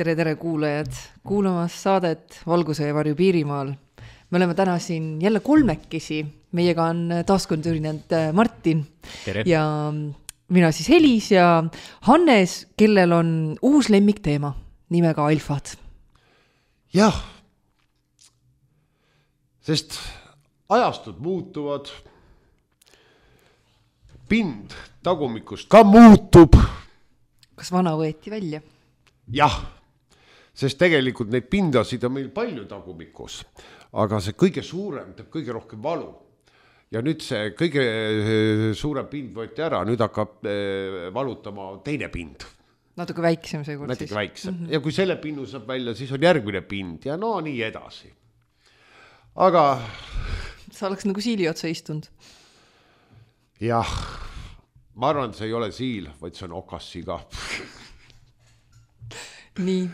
Tere kuulajad, kuulamas saadet Valguse ja varju Piirimaal. Me oleme täna siin jälle kolmekesi. Meiega on taaskond ürinenud Martin. Tere. Ja mina siis Helis ja Hannes, kellel on uus lemmikteema nimega alfad. Jah, sest ajastud muutuvad, pind tagumikust ka muutub. Kas vana võeti välja? Jah, sest tegelikult neid pindasid on meil palju tagumikus, aga see kõige suurem teeb kõige rohkem valu. Ja nüüd see kõige suurem pind võeti ära, nüüd hakkab valutama teine pind. Natuke väiksem see kord Natuke siis. väiksem. Ja kui selle pinnu saab välja, siis on järgmine pind ja no nii edasi. Aga Sa oleks nagu siili otsa istunud. jah, ma arvan, see ei ole siil, vaid see on okassiga. Nii,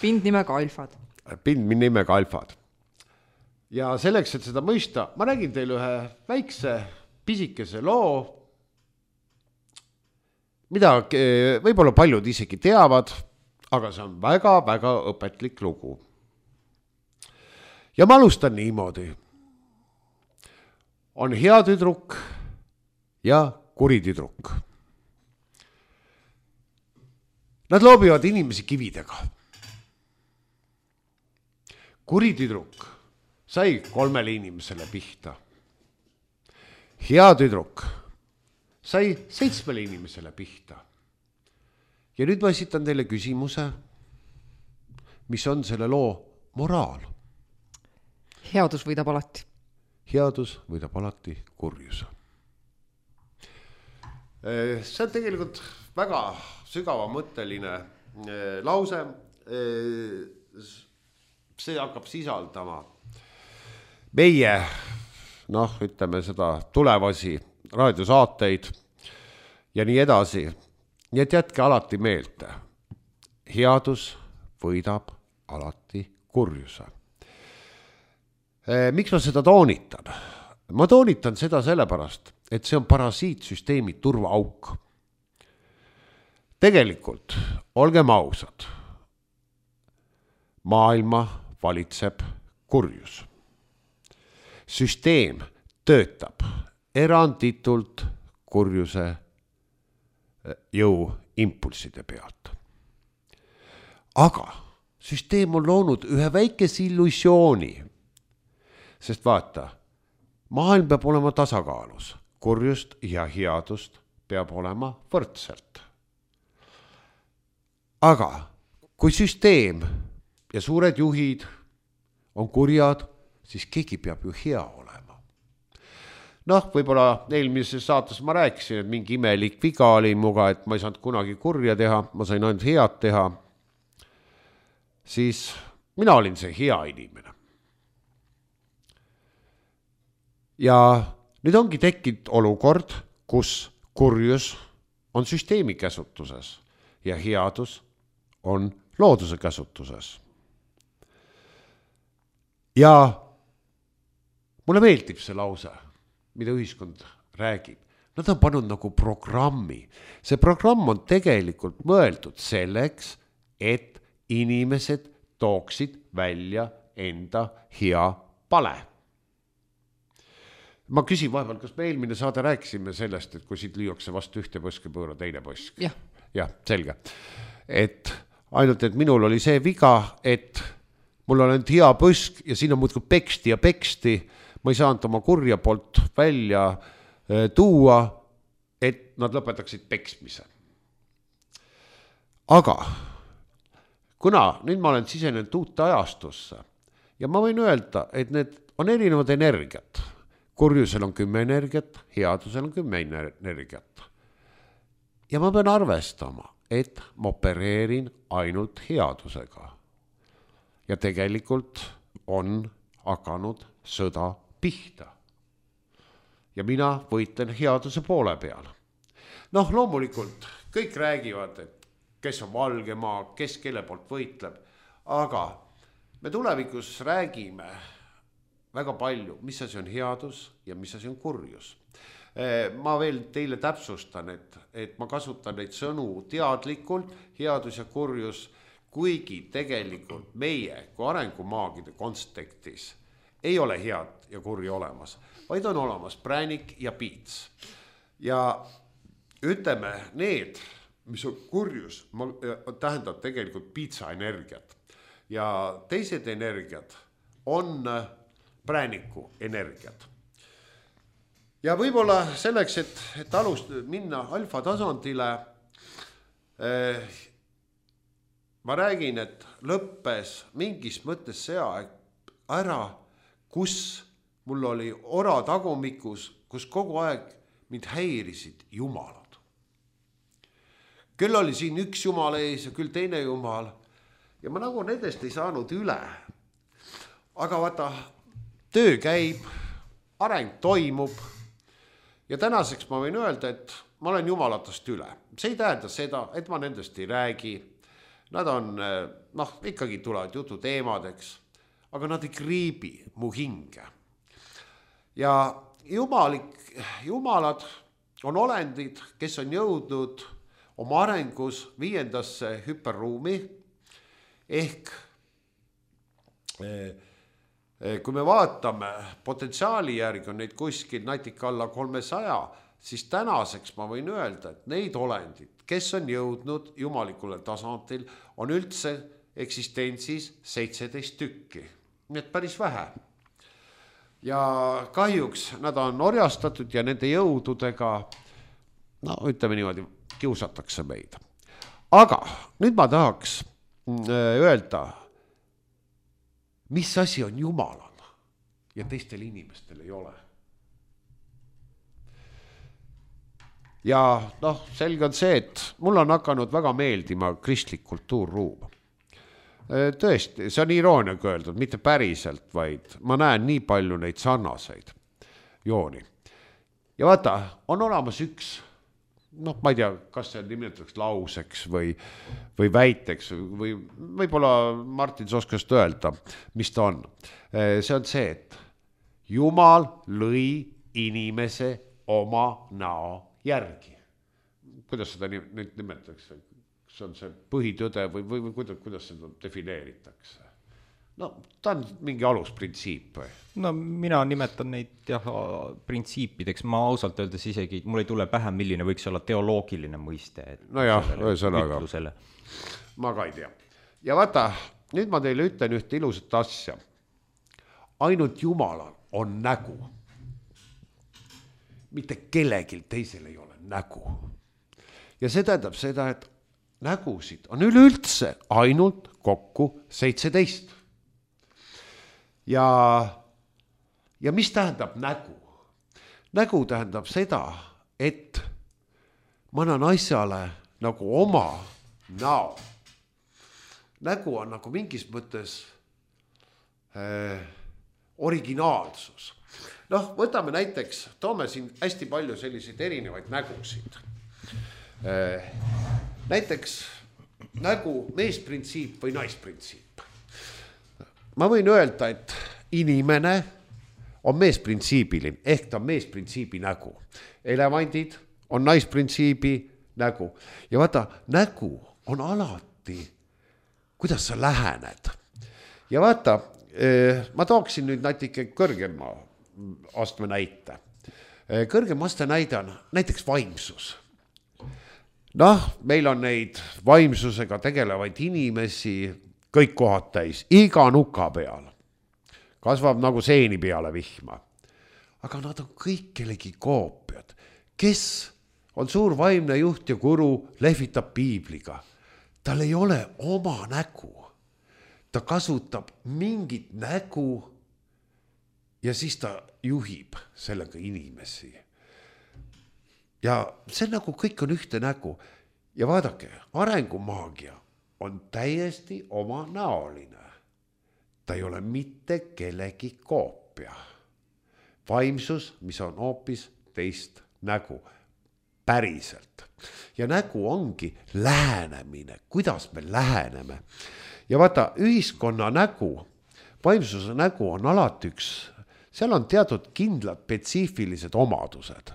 pind nimega alfad. Pind nimega alfad. Ja selleks, et seda mõista, ma räägin teile ühe väikse, pisikese loo, mida võib-olla paljud isegi teavad, aga see on väga-väga õpetlik lugu. Ja ma alustan niimoodi. On hea tüdruk ja kuri tüdruk. Nad loobivad inimesi kividega. Kuri tüdruk sai 3 inimesele pihta. Hea tüdruk sai 7 inimesele pihta. Ja nüüd ma esitan teile küsimuse, mis on selle loo moraal. Headus võidab alati. Headus võidab alati kurjuse. See on tegelikult väga sügavamõtteline lause. See hakkab sisaldama meie, ütleme seda tulevasi raadiosaateid ja nii edasi. Nii et jätke alati meelde. Headus võidab alati kurjuse. Miks ma seda toonitan? Ma toonitan seda sellepärast, et see on parasiitsüsteemi turvaauk. Tegelikult, olgem ausad, maailma valitseb kurjus. Süsteem töötab eranditult kurjuse jõuimpulsside pealt. Aga süsteem on loonud ühe väikese illusiooni, sest vaata, maailm peab olema tasakaalus, kurjust ja headust peab olema võrdselt. Aga kui süsteem ja suured juhid on kurjad, siis keegi peab ju hea olema. Võib-olla eelmises saates ma rääkisin, et mingi imelik viga oli muga, et ma ei saanud kunagi kurja teha, ma sain ainult head teha. Siis mina olin see hea inimene. Ja nüüd ongi tekkinud olukord, kus kurjus on süsteemi käsutuses ja headus on looduse käsutuses. Ja mulle meeldib see lause, mida ühiskond räägib. Nad on pannud nagu programmi. See programm on tegelikult mõeldud selleks, et inimesed tooksid välja enda hea pale. Ma küsin vahepeal, kas me eelmine saade rääkisime sellest, et kui siit lüüakse vastu ühte põske pööra teine põsk. Jah, selge. Et ainult, et minul oli see viga, et mul on ainult hea põsk ja siin on muudkui peksti ja peksti. Ma ei saanud oma kurja poolt välja tuua, et nad lõpetaksid peksmise. Aga kuna nüüd ma olen sisenenud uute ajastusse ja ma võin öelda, et need on erinevad energiat. Kurjusel on 10 energiat, headusel on 10 energiat. Ja ma pean arvestama, et ma opereerin ainult headusega. Ja tegelikult on hakanud sõda pihta. Ja mina võitlen headuse poole peal. Loomulikult kõik räägivad, et kes on valge maa, kes kelle poolt võitleb. Aga me tulevikus räägime väga palju, mis asi on headus ja mis asi on kurjus. Ma veel teile täpsustan, et ma kasutan neid sõnu teadlikult, headus ja kurjus kuigi tegelikult meie kui arengumaagide kontekstis ei ole head ja kurja olemas, vaid on olemas präänik ja piits. Ja ütleme, need, mis on kurjus, tähendab tegelikult piitsa energiat. Ja teised energiat on prääniku energiat. Ja võib-olla selleks, et minna alfa tasandile, ma räägin, et lõppes mingis mõttes see aeg ära, kus mul oli ora tagumikus, kus kogu aeg mind häirisid jumalad. Küll oli siin üks jumal ees ja küll teine jumal ja ma nagu nendest ei saanud üle. Aga vaata, töö käib, areng toimub ja tänaseks ma võin öelda, et ma olen jumalatest üle. See ei tähenda seda, et ma nendest ei räägi. Nad on, ikkagi tulevad jutu teemadeks, aga nad ei kriibi mu hinge. Ja jumalad on olendid, kes on jõudnud oma arengus 5. hüperruumi ehk kui me vaatame potentsiaali järgi on neid kuskil natika alla 300, siis tänaseks ma võin öelda, et neid olendid, kes on jõudnud jumalikule tasandil, on üldse eksistentsis 17 tükki. Nii et päris vähe. Ja kahjuks nad on orjastatud ja nende jõududega, ütleme niimoodi, kiusatakse meid. Aga nüüd ma tahaks öelda, mis asi on Jumalal ja teistel inimestel ei ole. Ja selge on see, et mul on hakanud väga meeldima kristlik kultuurruum. Tõesti, see on irooniaga öeldud, mitte päriselt, vaid ma näen nii palju neid sarnaseid jooni. Ja vaata, on olemas üks, ma ei tea, kas see nimetatakse lauseks või väiteks või võib-olla Martin oskast öelda, mis ta on. See on see, et Jumal lõi inimese oma näo järgi. Kuidas seda nüüd nimetatakse? See on see põhitõde või kuidas seda defineeritakse? Ta on mingi alusprintsiip. Mina nimetan neid printsiipideks, ma ausalt öeldes isegi, mul ei tule pähe, milline võiks olla teoloogiline mõiste. Ühesõnaga, ma ka ei tea. Ja vaata, nüüd ma teile ütlen ühte ilusat asja. Ainult Jumalal on nägu. Mitte kellelgi teisel ei ole nägu. Ja see tähendab seda, et nägusid on üleüldse ainult kokku 17. Ja mis tähendab nägu? Nägu tähendab seda, et ma annan asjale nagu oma näo. Nägu on nagu mingis mõttes originaalsus. Võtame näiteks, toome siin hästi palju selliseid erinevaid nägusid. Näiteks nägu meesprintsiip või naisprintsiip. Ma võin öelda, et inimene on meesprintsiibiline, ehk ta on meesprintsiibi nägu. Elevandid on naisprintsiibi nägu. Ja vaata, nägu on alati, kuidas sa lähened. Ja vaata, ma tooksin nüüd natuke kõrgema astme näite. Kõrgem aste näide on näiteks vaimsus. Meil on neid vaimsusega tegelevaid inimesi kõik kohad täis, iga nuka peal. Kasvab nagu seeni peale vihma. Aga nad on kõik kellegi koopiad. Kes on suur vaimne juht ja guru, lehvitab piibliga. Tal ei ole oma nägu. Ta kasutab mingit nägu ja siis ta juhib sellega inimesi. Ja see nagu kõik on ühte nägu. Ja vaadake, arengumaagia on täiesti oma näoline. Ta ei ole mitte kellegi koopia. Vaimsus, mis on hoopis teist nägu. Päriselt. Ja nägu ongi lähenemine. Kuidas me läheneme? Ja vaata, ühiskonna nägu, vaimsuse nägu on alati üks. Seal on teatud kindlad spetsiifilised omadused.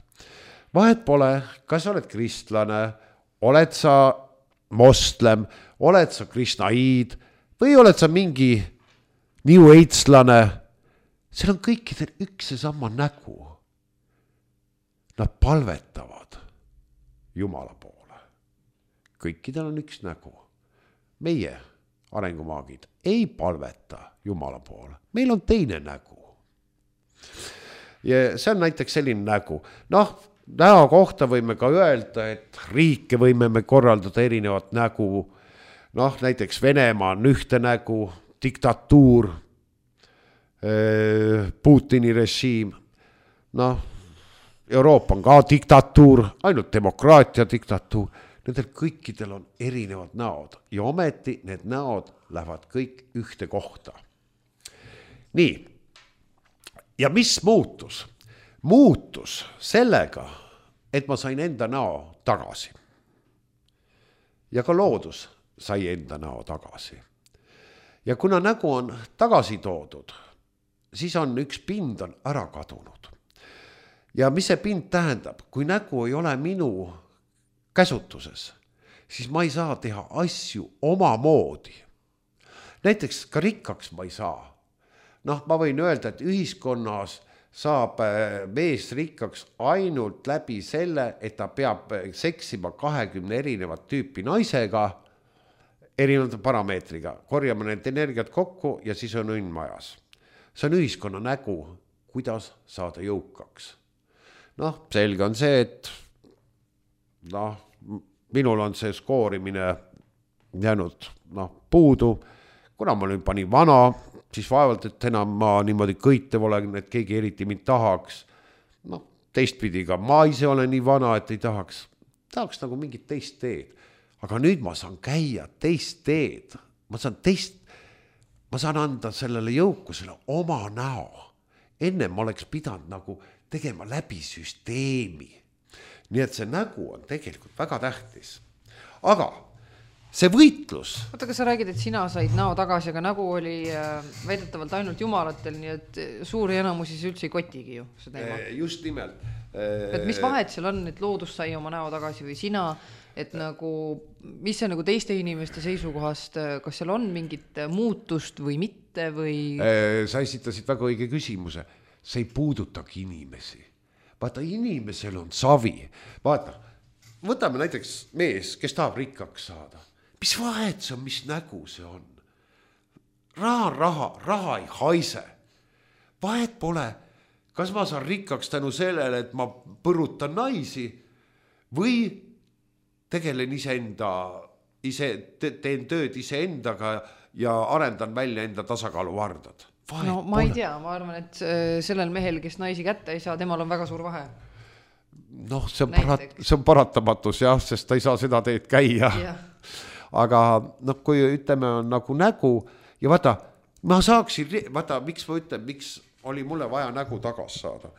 Vahet pole, kas oled kristlane, oled sa moslem, oled sa krishnaid või oled sa mingi New Age'lane, seal on kõikidel üks ja sama nägu. Nad palvetavad Jumala poole. Kõikidel on üks nägu. Meie arengumaagid ei palveta Jumala poole. Meil on teine nägu. Ja see on näiteks selline nägu. Näo kohta võime ka öelda, et riike võime me korraldada erinevat nägu. Näiteks Venemaa on ühte nägu, diktatuur, Putini režiim. Euroopa on ka diktatuur, ainult demokraatia diktatuur. Nendel kõikidel on erinevad näod ja ometi need näod lähevad kõik ühte kohta. Nii, ja mis muutus? Muutus sellega, et ma sain enda näo tagasi. Ja ka loodus sai enda näo tagasi. Ja kuna nägu on tagasi toodud, siis on üks pind on ära kadunud. Ja mis see pind tähendab? Kui nägu ei ole minu käsutuses, siis ma ei saa teha asju oma moodi. Näiteks ka rikkaks ma ei saa. Ma võin öelda, et ühiskonnas saab mees rikkaks ainult läbi selle, et ta peab seksima 20 erinevat tüüpi naisega, erinevate parameetriga. Korjame need energiat kokku ja siis on õnn majas. See on ühiskonna nägu, kuidas saada jõukaks. Selge on see, et minul on see skoorimine jäänud puudu. Kuna ma nüüd panin vana, siis vaevalt, et enam ma niimoodi kõitev olen, et keegi eriti mind tahaks. Teistpidi ka ma ise olen nii vana, et ei tahaks nagu mingit teist teed. Aga nüüd ma saan käia teist teed. Ma saan anda sellele jõukusele oma näo. Enne ma oleks pidanud nagu tegema läbi süsteemi. Nii et see nägu on tegelikult väga tähtis. Aga see võitlus. Oota, kas sa räägid, et sina said näo tagasi, aga nägu oli väidetavalt ainult jumalatel, nii et suuri enamusi see üldse ei kotigi ju. Just nimelt. Et mis vahet seal on, et loodus sai oma näo tagasi või sina, et nagu, mis see nagu teiste inimeste seisukohast, kas seal on mingit muutust või mitte või? Sa esitasid väga õige küsimuse. See ei puudutagi inimesi. Vaata, inimesel on savi. Vaata, võtame näiteks mees, kes tahab rikkaks saada. Mis vahet see on, mis nägu see on? Raha ei haise. Vahet pole, kas ma saan rikkaks tänu sellele, et ma põrutan naisi või tegelen teen tööd iseendaga ja arendan välja enda tasakaaluvardad. Ma ei tea, ma arvan, et sellel mehel, kes naisi kätte ei saa, temal on väga suur vahe. See on paratamatus, jah, sest ta ei saa seda teed käia. Aga kui ütleme on nagu nägu ja vaata, ma saaksin, miks ma ütlen, miks oli mulle vaja nägu tagas saada.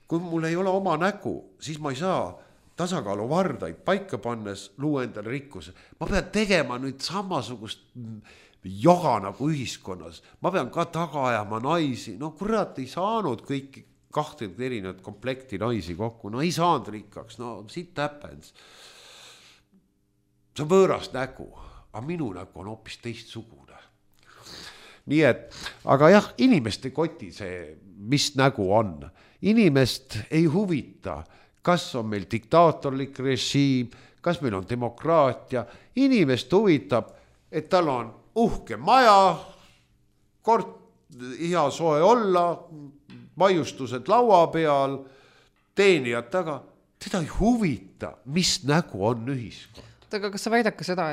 Kui mul ei ole oma nägu, siis ma ei saa tasakaaluvardaid paika pannes luua endale rikkuse. Ma pean tegema nüüd samasugust joga nagu ühiskonnas. Ma pean ka taga ajama naisi. Kurat, ei saanud kõiki 20 erinevat komplekti naisi kokku. Ei saanud rikkaks. Shit happens. See on võõras nägu, aga minu nägu on hoopis teistsugune. Nii et, aga jah, inimeste koti see, mis nägu on. Inimest ei huvita, kas on meil diktaatorlik režiim, kas meil on demokraatia. Inimest huvitab, et tal on uhke maja, hea soe olla, maiustused laua peal, teenijad taga. Teda ei huvita, mis nägu on ühiskond. Aga kas sa väidad ka seda,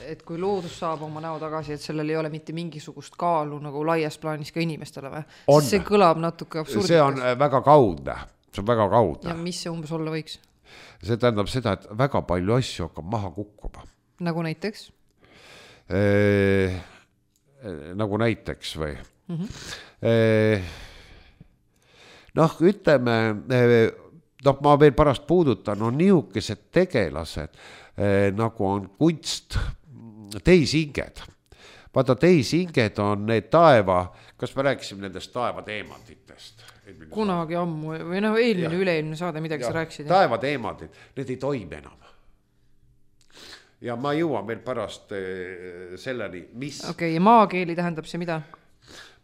et kui loodus saab oma näo tagasi, et sellel ei ole mitte mingisugust kaalu nagu laias plaanis ka inimestele või? See kõlab natuke absurdikas. See on väga kaudne. See on väga kaudne. Ja mis see umbes olla võiks? See tähendab seda, et väga palju asju hakkab maha kukkuma. Nagu näiteks? Nagu näiteks või? Ütleme, ma veel pärast puudutan, on niisugused tegelased, nagu on kunst, tehisinged. Vaata, tehisinged on need kas me rääkisime nendest taevateemantitest? Kunagi ammu, või üleilmne saade, midagi sa rääkisid. Taevateemantid, need ei toimi enam. ja ma jõuan veel pärast selleni, mis Okei, ja maakeeli tähendab see mida?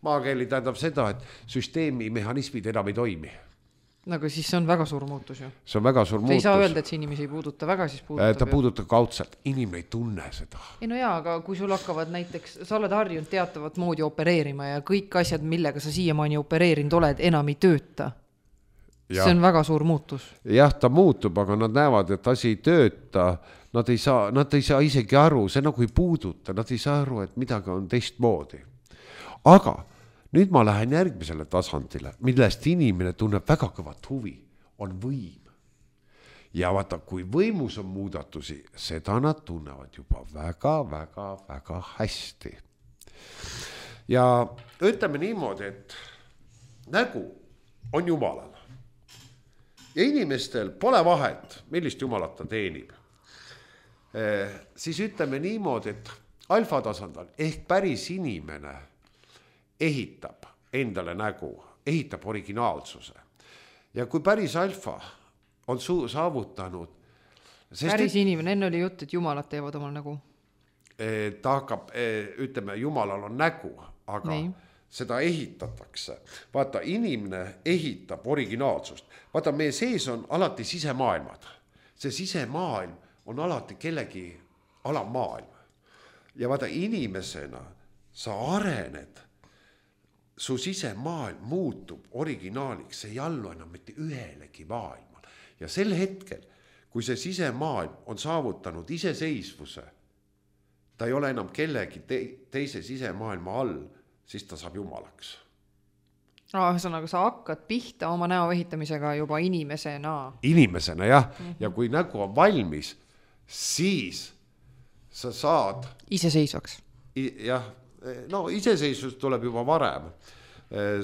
maakeeli tähendab seda, et süsteemi mehhanismid enam ei toimi. Nagu siis see on väga suur muutus ju. See on väga suur muutus. Ei saa öelda, et see inimesi ei puuduta väga, siis puudutab ta puudutab kaudselt, inimene ei tunne seda. Ei no jaa, aga kui sul hakkavad näiteks, sa oled harjunud teatavat moodi opereerima ja kõik asjad, millega sa siiamaani opereerinud oled, enam ei tööta. See on väga suur muutus. Jah, ta muutub, aga nad näevad, et asi ei tööta, nad ei saa isegi aru, see nagu ei puuduta, nad ei saa aru, et midagi on teistmoodi. Aga nüüd ma lähen järgmisele tasandile, millest inimene tunneb väga kõvat huvi, on võim. Ja vaata, kui võimus on muudatusi, seda nad tunnevad juba väga hästi. Ja ütleme niimoodi, et nägu on Jumalal. Ja inimestel pole vahet, millist Jumalat ta teenib. Siis ütleme niimoodi, et alfa tasandal ehk päris inimene ehitab endale nägu, ehitab originaalsuse. Ja kui päris alfa on saavutanud... Päris inimene, enne oli jutt, et Jumalad teevad omal nägu. Ta hakkab, ütleme, Jumalal on nägu, aga nii. Seda ehitatakse. Vaata, inimene ehitab originaalsust. Vaata, meie sees on alati sisemaailmad. See sisemaailm on alati kellegi alammaailm. Ja vaata, inimesena sa arened, su sisemaailm muutub originaaliks, see ei allu enam mitte ühelegi maailmal. Ja sel hetkel, kui see sisemaailm on saavutanud iseseisvuse, ta ei ole enam kellegi teise sisemaailma all, siis ta saab Jumalaks. Ühesõnaga, sa hakkad pihta oma näo ehitamisega juba inimesena. Inimesena, jah. Ja kui nägu on valmis, siis sa saad... Iseseisvaks. Jah, no iseseisvus tuleb juba varem.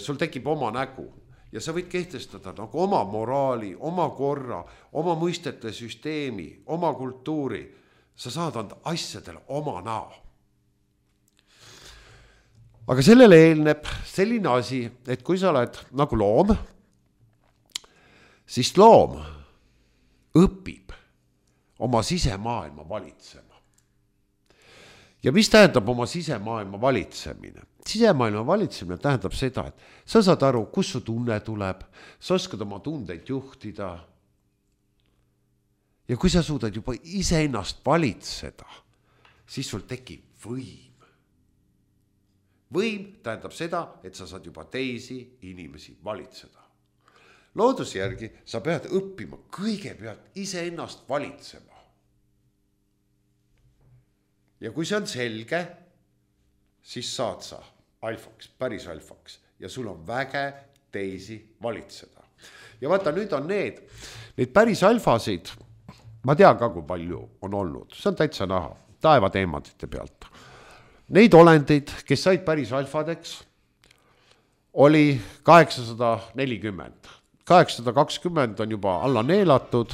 Sul tekib oma nägu ja sa võid kehtestada nagu oma moraali, oma korra, oma mõistete süsteemi, oma kultuuri. Sa saad anda asjadele oma näo. Aga sellele eelneb selline asi, et kui sa oled nagu loom, siis loom õpib oma sisemaailma valitsema. Ja mis tähendab oma sisemaailma valitsemine? Sisemaailma valitsemine tähendab seda, et sa saad aru, kus su tunne tuleb, sa oskad oma tundeid juhtida. Ja kui sa suudad juba iseennast valitseda, siis sul tekib võim. Võim tähendab seda, et sa saad juba teisi inimesi valitseda. Looduse järgi sa pead õppima kõigepealt iseennast valitsema. Ja kui see on selge, siis saad sa alfaks, päris alfaks ja sul on väge teisi valitseda. Ja vaata, nüüd on need päris alfasid, ma tean ka, kui palju on olnud, see on täitsa näha, taevateemadite pealt. Neid olendid, kes said päris alfadeks, oli 840. 820 on juba alla neelatud,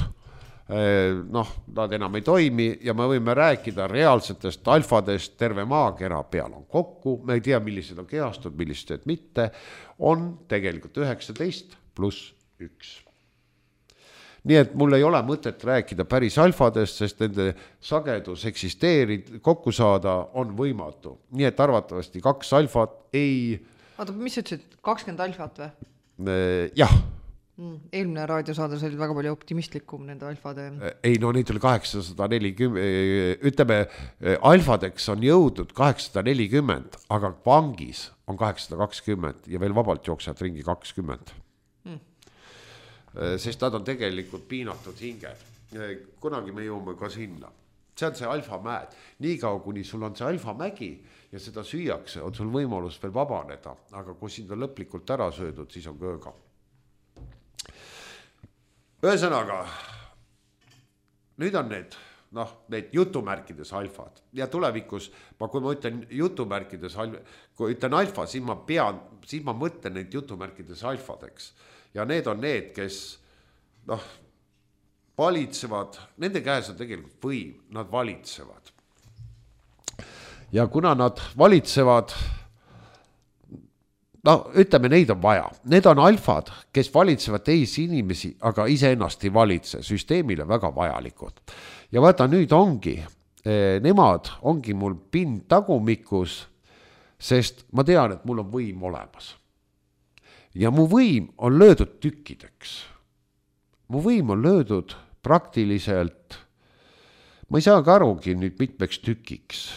nad enam ei toimi ja me võime rääkida reaalsetest alfadest, terve maakera peal on kokku, me ei tea, millised on kehastud, millised mitte, on tegelikult 19 pluss 1. Nii et mul ei ole mõtet rääkida päris alfadest, sest nende sagedus eksisteerida, kokku saada on võimatu. Nii et arvatavasti 2 alfat ei... Oota, mis sa ütlesid, 20 alfat või? Jah. Eelmine raadiosaades oli väga palju optimistlikum nende alfade. Ei, no neid oli 840, ütleme, alfadeks on jõudnud 840, aga vangis on 820 ja veel vabalt jooksevad ringi 20. Sest nad on tegelikult piinatud hinged. Kunagi me jõuame ka sinna. See on see alfamäed. Niikaua, kuni sul on see alfamägi ja seda süüakse, on sul võimalus veel vabaneda. Aga kui sind on lõplikult ära söödud, siis on kööga. Ühesõnaga, nüüd on need jutumärkides alfad. Ja tulevikus, kui ma ütlen jutumärkides, kui ütlen alfa, siis ma mõtlen neid jutumärkides alfadeks. Ja need on need, kes valitsevad, nende käes on tegelikult võim, nad valitsevad. Ja kuna nad valitsevad, ütleme, neid on vaja. Need on alfad, kes valitsevad teisi inimesi, aga iseennast ei valitse. Süsteemile väga vajalikud. Ja vaata, nüüd ongi nemad ongi mul pind tagumikus, sest ma tean, et mul on võim olemas. Ja mu võim on löödud tükkideks. Mu võim on löödud praktiliselt, ma ei saagi arugi nüüd mitmeks tükiks.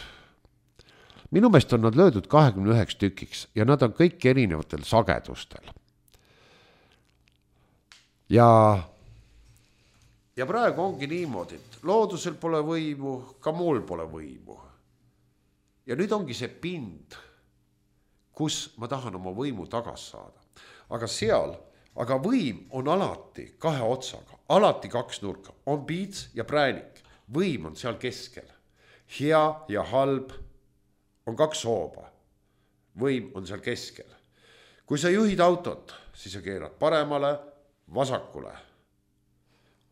Minu meelest on nad löödud 29 tükiks ja nad on kõik erinevatel sagedustel. Ja praegu ongi niimoodi, et loodusel pole võimu, ka mul pole võimu. Ja nüüd ongi see pind, kus ma tahan oma võimu tagas saada. Aga võim on alati kahe otsaga, alati kaks nurka, on piits ja präänik. Võim on seal keskel. Hea ja halb on kaks hooba. Võim on seal keskel. Kui sa juhid autot, siis sa keerad paremale, vasakule.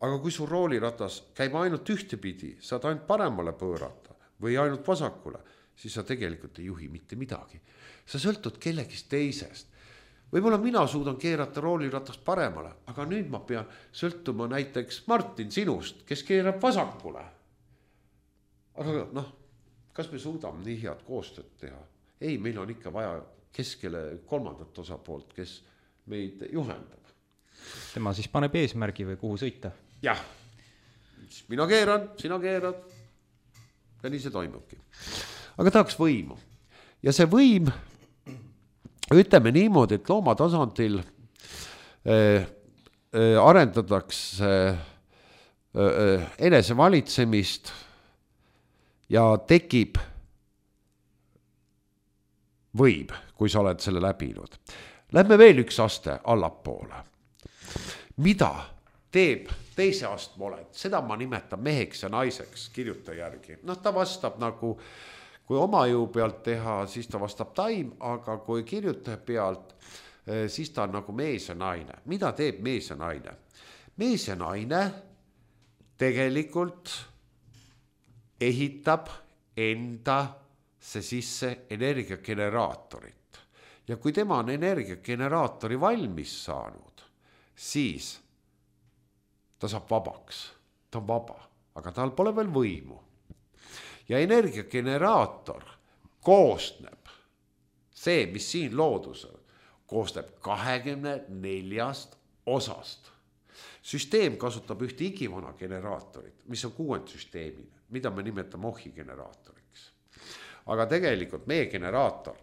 Aga kui su rooliratas käib ainult ühtepidi, saad ainult paremale pöörata või ainult vasakule, siis sa tegelikult ei juhi mitte midagi. Sa sõltud kellegist teisest. Võib-olla mina suudan keerata rooliratast paremale, aga nüüd ma pean sõltuma näiteks Martin sinust, kes keerab vasakule. Aga kas me suudame nii head koostööd teha? Ei, meil on ikka vaja keskele kolmandat osapoolt, kes meid juhendab. Tema siis paneb eesmärgi või kuhu sõita? Jah, mina keeran, sina keerad ja nii see toimubki. Aga tahaks võimu. Ja see võim, ütleme niimoodi, et loomatasandil arendatakse enesevalitsemist ja tekib võim, kui sa oled selle läbinud. Lähme veel üks aste allapoole. Mida teeb teise astme oled? Seda ma nimetan meheks ja naiseks kirjuta järgi. Ta vastab nagu, kui oma jõu pealt teha, siis ta vastab taim, aga kui kirjutaja pealt, siis ta on nagu mees ja naine. Mida teeb mees ja naine? Mees ja naine tegelikult ehitab endasse sisse energiageneraatorit. Ja kui tema on energiageneraatori valmis saanud, siis ta saab vabaks. Ta on vaba, aga tal pole veel võimu. Ja energiageneraator koosneb, see, mis siin loodusel, koosneb 24 osast. Süsteem kasutab ühte igivana generaatorit, mis on kuuendsüsteemine, mida me nimetame ohigeneraatoriks. Aga tegelikult meie generaator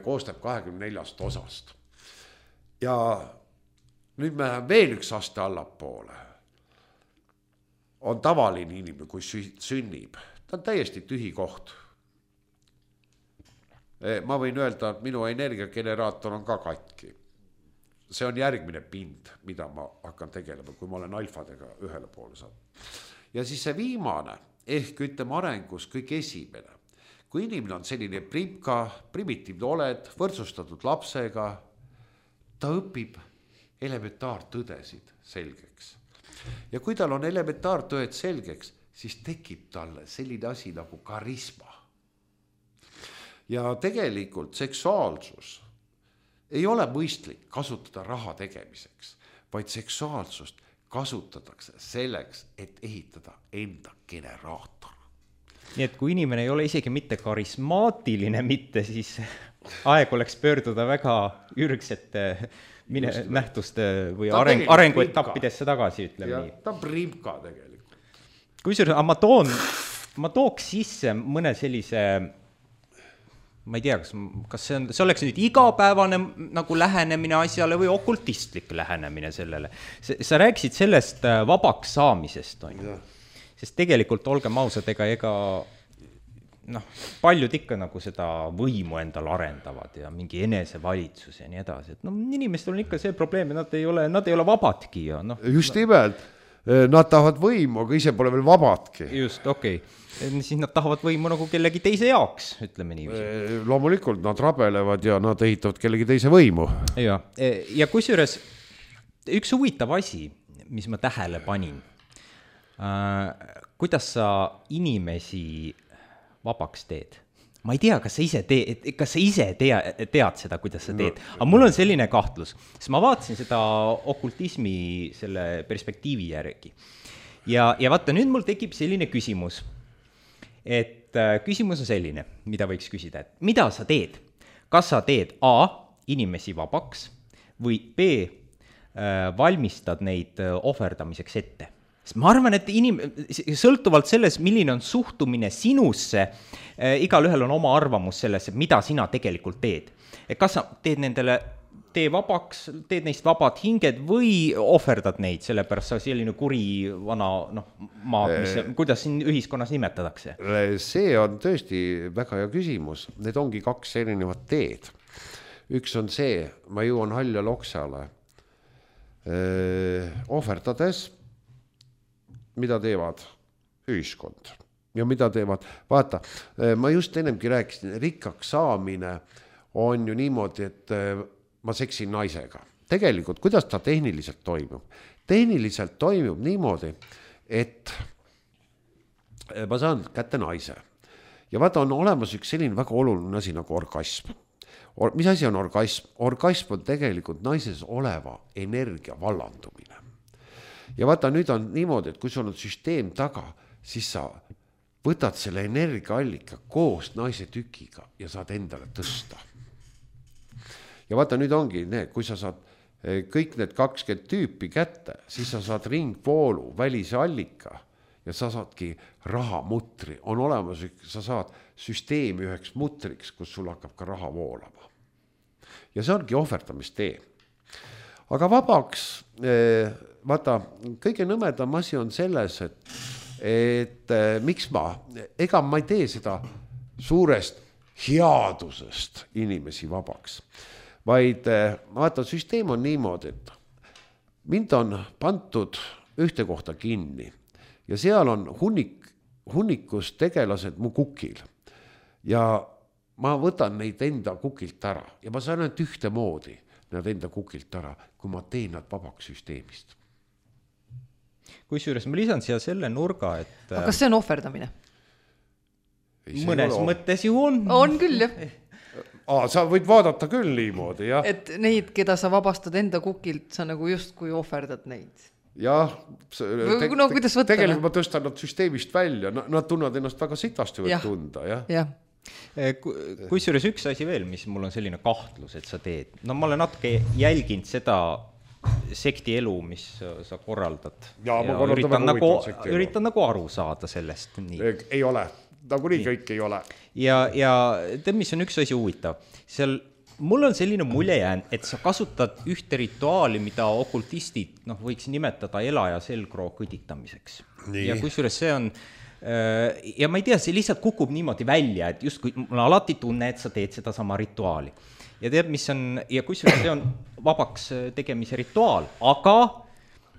koosneb 24 osast. Ja nüüd me veel üks aste allapoole. On tavaline inimene, kui sünnib. Ta on täiesti tühi koht. Ma võin öelda, et minu energiageneraator on ka katki. See on järgmine pind, mida ma hakkan tegelema, kui ma olen alfadega ühele poole saanud. Ja siis see viimane, ehk ütleme arengus kõik esimene. Kui inimene on selline primitiivne oled, võrdsustatud lapsega, ta õpib elementaartõdesid selgeks. Ja kui tal on elementaartõed selgeks, siis tekib talle selline asi nagu karisma. Ja tegelikult seksuaalsus ei ole mõistlik kasutada raha tegemiseks, vaid seksuaalsust kasutatakse selleks, et ehitada enda generaator. Nii et kui inimene ei ole isegi mitte karismaatiline mitte, siis aeg oleks pöörduda väga ürgsete nähtuste või arenguetappidesse tagasi, ütleme nii. Ta on primka tegelikult. Kusjuures, ma tooks sisse mõne sellise, ma ei tea, kas see oleks nüüd igapäevane nagu lähenemine asjale või okultistlik lähenemine sellele. Sa rääkisid sellest vabaks saamisest, on ju. Sest tegelikult olgem ausad, ega paljud ikka nagu seda võimu endal arendavad ja mingi enesevalitsus ja nii edasi. Et inimestel on ikka see probleem, nad ei ole vabadki. Ja, just nimelt, nad tahavad võimu, aga ise pole veel vabadki. Just, okei. Siis nad tahavad võimu nagu kellegi teise jaoks, ütleme nii. Loomulikult nad rabelevad ja nad ehitavad kellegi teise võimu. Ja kusjuures üks huvitav asi, mis ma tähele panin, kuidas sa inimesi vabaks teed? Ma ei tea, kas sa ise tead seda, kuidas sa teed, aga mul on selline kahtlus, sest ma vaatasin seda okultismi selle perspektiivi järgi. Ja vaata, nüüd mul tekib selline küsimus. et küsimus on selline, mida võiks küsida, et mida sa teed? Kas sa teed A, inimesi vabaks või B, valmistad neid ohverdamiseks ette? Sest ma arvan, et sõltuvalt sellest, milline on suhtumine sinusse, igalühel on oma arvamus selles, mida sina tegelikult teed. Et kas sa teed nendele tee vabaks, teed neist vabad hinged või ohverdad neid, sellepärast sa selline kuri vana maad, kuidas siin ühiskonnas nimetadakse? See on tõesti väga hea küsimus. Need ongi 2 erinevat teed. Üks on see, ma jõuan halja loksale ohverdades, mida teevad ühiskond ja mida teevad. Vaata, ma just ennemgi rääkisin, rikkaks saamine on ju niimoodi, et ma seksin naisega. Tegelikult, kuidas ta tehniliselt toimub? Tehniliselt toimub niimoodi, et ma saan kätte naise. Ja vaata, on olemas üks selline väga oluline asi nagu orgasm. Mis asi on orgasm? Orgasm on tegelikult naises oleva energia vallandumine. Ja vaata, nüüd on niimoodi, et kui sul on süsteem taga, siis sa võtad selle energiaallika koos naise tükiga ja saad endale tõsta. Ja vaata, nüüd ongi need, kui sa saad kõik need 20 tüüpi kätte, siis sa saad ringvoolu, välise allika ja sa saadki rahamutri. On olemas, sa saad süsteemi üheks mutriks, kus sul hakkab ka raha voolama. Ja see ongi ohverdamistee. Aga vabaks, vaata, kõige nõmedam asi on selles, et miks ega ma ei tee seda suurest headusest inimesi vabaks, vaid vaata, süsteem on niimoodi, et mind on pandud ühte kohta kinni ja seal on hunnikus tegelased mu kukil ja ma võtan neid enda kukilt ära ja ma saan ainult ühte moodi nad enda kukilt ära, kui ma teen nad vabaks süsteemist. Kusjuures ma lisan siia selle nurga, et aga kas see on ohverdamine? Mõnes mõttes ju on. On küll, jah. Sa võid vaadata küll niimoodi, jah. Et neid, keda sa vabastad enda kukilt, sa nagu just kui ohverdad neid. Jah, kuidas võtta? Tegelikult ma tõstan nad süsteemist välja, nad tunnevad ennast väga sitasti võid tunda, jah. Jah. Kusjuures üks asi veel, mis mul on selline kahtlus, et sa teed. No ma olen natuke jälginud seda sekti elu, mis sa korraldad. Ja üritan nagu aru saada sellest. Nii. Ei ole, nagu nii kõik ei ole. Ja tead, mis on üks asi huvitav? Seal mul on selline mulje jäänud, et sa kasutad ühte rituaali, mida okultistid võiks nimetada ela- ja selgroo kõditamiseks. Nii. Ja kusjuures see on ja ma ei tea, see lihtsalt kukub niimoodi välja, et just kui mul alati tunne, et sa teed seda sama rituaali. Ja tead, mis on, ja kusjuures see on vabaks tegemise rituaal, aga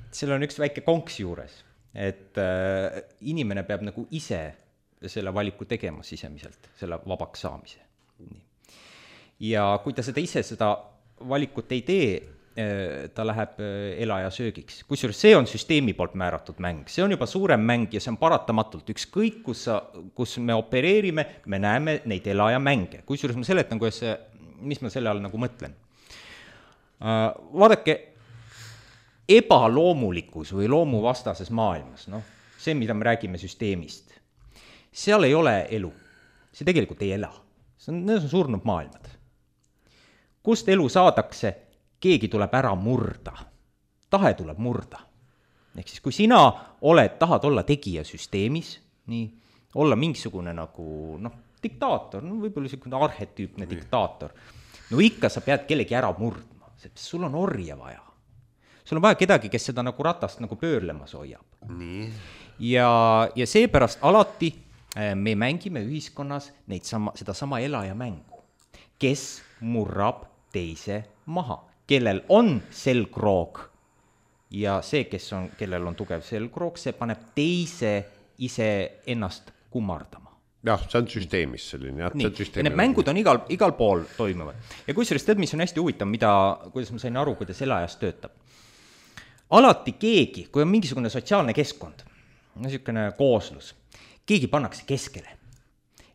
seal on üks väike konks juures, et inimene peab nagu ise selle valiku tegema sisemiselt, selle vabaks saamise. Ja kui ta seda ise seda valikut ei tee, ta läheb ela- ja söögiks. Kusjuures see on süsteemi poolt määratud mäng. See on juba suurem mäng ja see on paratamatult. Ükskõik, kus me opereerime, me näeme neid ela- ja mänge. Kusjuures ma seletan, mis ma selle all nagu mõtlen. Vaadake, ebaloomulikus või loomuvastases maailmas, see, mida me räägime süsteemist, seal ei ole elu. See tegelikult ei ela. Need on surnud maailmad. Kust elu saadakse? Keegi tuleb ära murda. Tahe tuleb murda. Ehk siis, kui sina tahad olla tegija süsteemis, nii, olla mingisugune nagu, diktaator, võib-olla selline arhetüüpne diktaator, ikka sa pead kellegi ära murdma, sest sul on orja vaja. Sul on vaja kedagi, kes seda nagu ratast nagu pöörlemas hoiab. Nii. Ja seepärast alati me mängime ühiskonnas seda sama elaja mängu, kes murrab teise maha, kellel on selgroog ja see, kellel on tugev selgroog, see paneb teise ise ennast kummardama. Jah, see on süsteemis selline. Nii, ja need mängud on igal pool toimuvad. Ja kusjuures tead, mis on hästi huvitav, kuidas ma sain aru, kuidas elajas töötab. Alati keegi, kui on mingisugune sotsiaalne keskkond, niisugune kooslus, keegi pannakse keskele.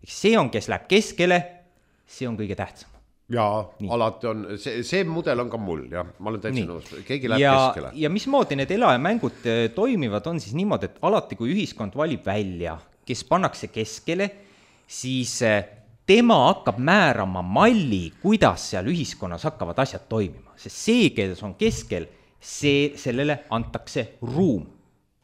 See on, kes läheb keskele, see on kõige tähtsam. Jaa, alati on, see mudel on ka mul, jah, ma olen täitsa nõus, keegi läheb keskele. Ja mismoodi need ela- ja mängud toimivad on siis niimoodi, et alati kui ühiskond valib välja kes pannakse keskele, siis tema hakkab määrama malli, kuidas seal ühiskonnas hakkavad asjad toimima, sest see, kes on keskel, sellele antakse ruum.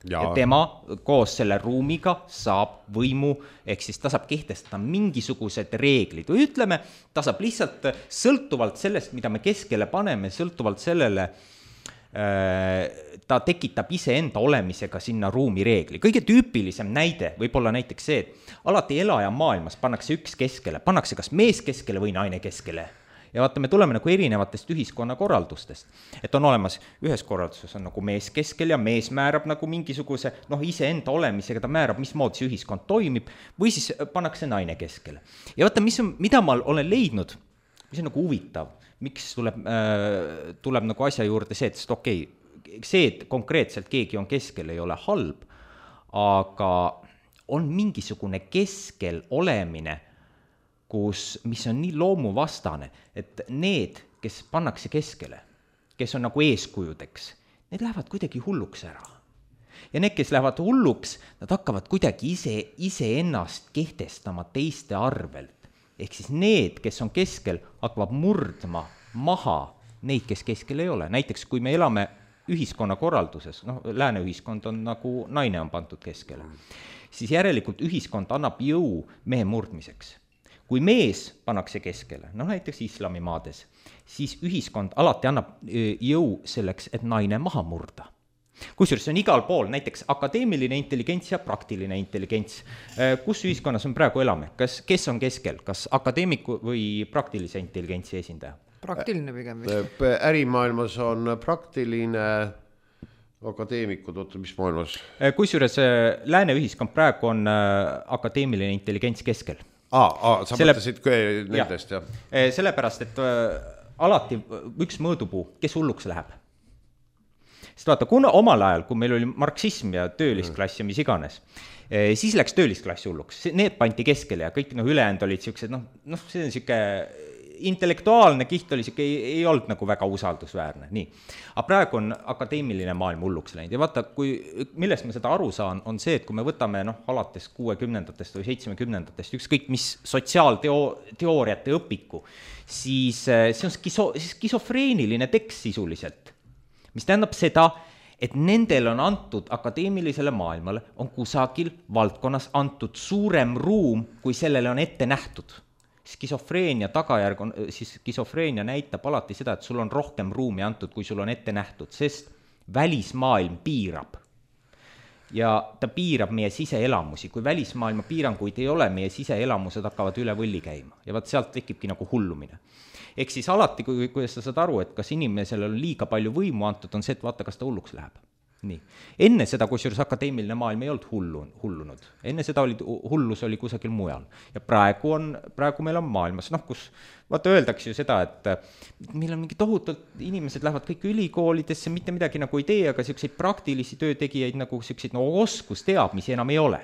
Ja tema koos selle ruumiga saab võimu, ehk siis ta saab kehtestada mingisugused reeglid või ütleme, ta saab lihtsalt sõltuvalt sellest, mida me keskele paneme, sõltuvalt sellele, ta tekitab iseenda olemisega sinna ruumi reegli. Kõige tüüpilisem näide võib olla näiteks see, et alati elaja maailmas pannakse üks keskele, pannakse kas mees keskele või naine keskele. Ja vaata, me tuleme nagu erinevatest ühiskonnakorraldustest, et on olemas, ühes korralduses on nagu mees keskel ja mees määrab nagu mingisuguse, iseenda olemisega ta määrab, mismoodi see ühiskond toimib, või siis pannakse naine keskele. Ja vaata, mida ma olen leidnud, mis on nagu huvitav, miks tuleb nagu asja juurde see, et see, et konkreetselt keegi on keskel, ei ole halb, aga on mingisugune keskel olemine, mis on nii loomuvastane, et need, kes pannakse keskele, kes on nagu eeskujudeks, need lähevad kuidagi hulluks ära. Ja need, kes lähevad hulluks, nad hakkavad kuidagi iseennast kehtestama teiste arvelt. Ehk siis need, kes on keskel, hakkavad murdma maha neid, kes keskel ei ole. Näiteks, kui me elame ühiskonnakorralduses, lääne ühiskond on nagu naine on pandud keskele, siis järelikult ühiskond annab jõu mehe murdmiseks. Kui mees pannakse keskele, näiteks islamimaades, siis ühiskond alati annab jõu selleks, et naine maha murda. Kusjuures on igal pool, näiteks akadeemiline intelligents ja praktiline intelligents. Kus ühiskonnas me praegu elame? Kes on keskel? Kas akadeemiku või praktilise intelligentsi esindaja? Praktiline pigem. Ärimaailmas on praktiline akadeemikud, mis maailmas? Kusjuures lääne ühiskond praegu on akadeemiline intelligents keskel. Sa mõtlesid nendest, jah? Sellepärast, et alati üks mõõdupuu, kes hulluks läheb. Sest vaata, kuna omal ajal, kui meil oli marksism ja töölisklass ja mis iganes, siis läks töölisklass hulluks. Need pandi keskele ja kõik ülejäänud olid siuksed, see on siuke intellektuaalne kiht oli siuke, ei olnud nagu väga usaldusväärne. Nii. Aga praegu on akadeemiline maailm hulluks läinud ja vaata, millest ma seda aru saan, on see, et kui me võtame alates 60-ndatest või 70-ndatest ükskõik mis sotsiaalteooriate õpiku, siis see on skisofreeniline tekst sisuliselt, mis tähendab seda, et nendel on antud akadeemilisele maailmale, on kusagil valdkonnas antud suurem ruum, kui sellele on ette nähtud. Skisofreenia tagajärg on, siis skisofreenia näitab alati seda, et sul on rohkem ruumi antud, kui sul on ette nähtud, sest välismaailm piirab. Ja ta piirab meie siseelamusi. Kui välismaailma piiranguid ei ole, meie siseelamused hakkavad üle võlli käima. Ja vaat sealt tekibki nagu hullumine. Ehk siis alati, kui sa saad aru, et kas inimesele on liiga palju võimu antud, on see, et vaata, kas ta hulluks läheb. Nii. Enne seda, kusjuures akadeemiline maailm ei olnud hullunud. Enne seda hullus oli kusagil mujal. Ja praegu meil on maailmas, kus vaata öeldakse ju seda, et meil on mingi tohutult, inimesed lähevad kõik ülikoolidesse, mitte midagi nagu ei tee, aga siukseid praktilisi töötegijaid nagu siukseid oskusteadmisi enam ei ole.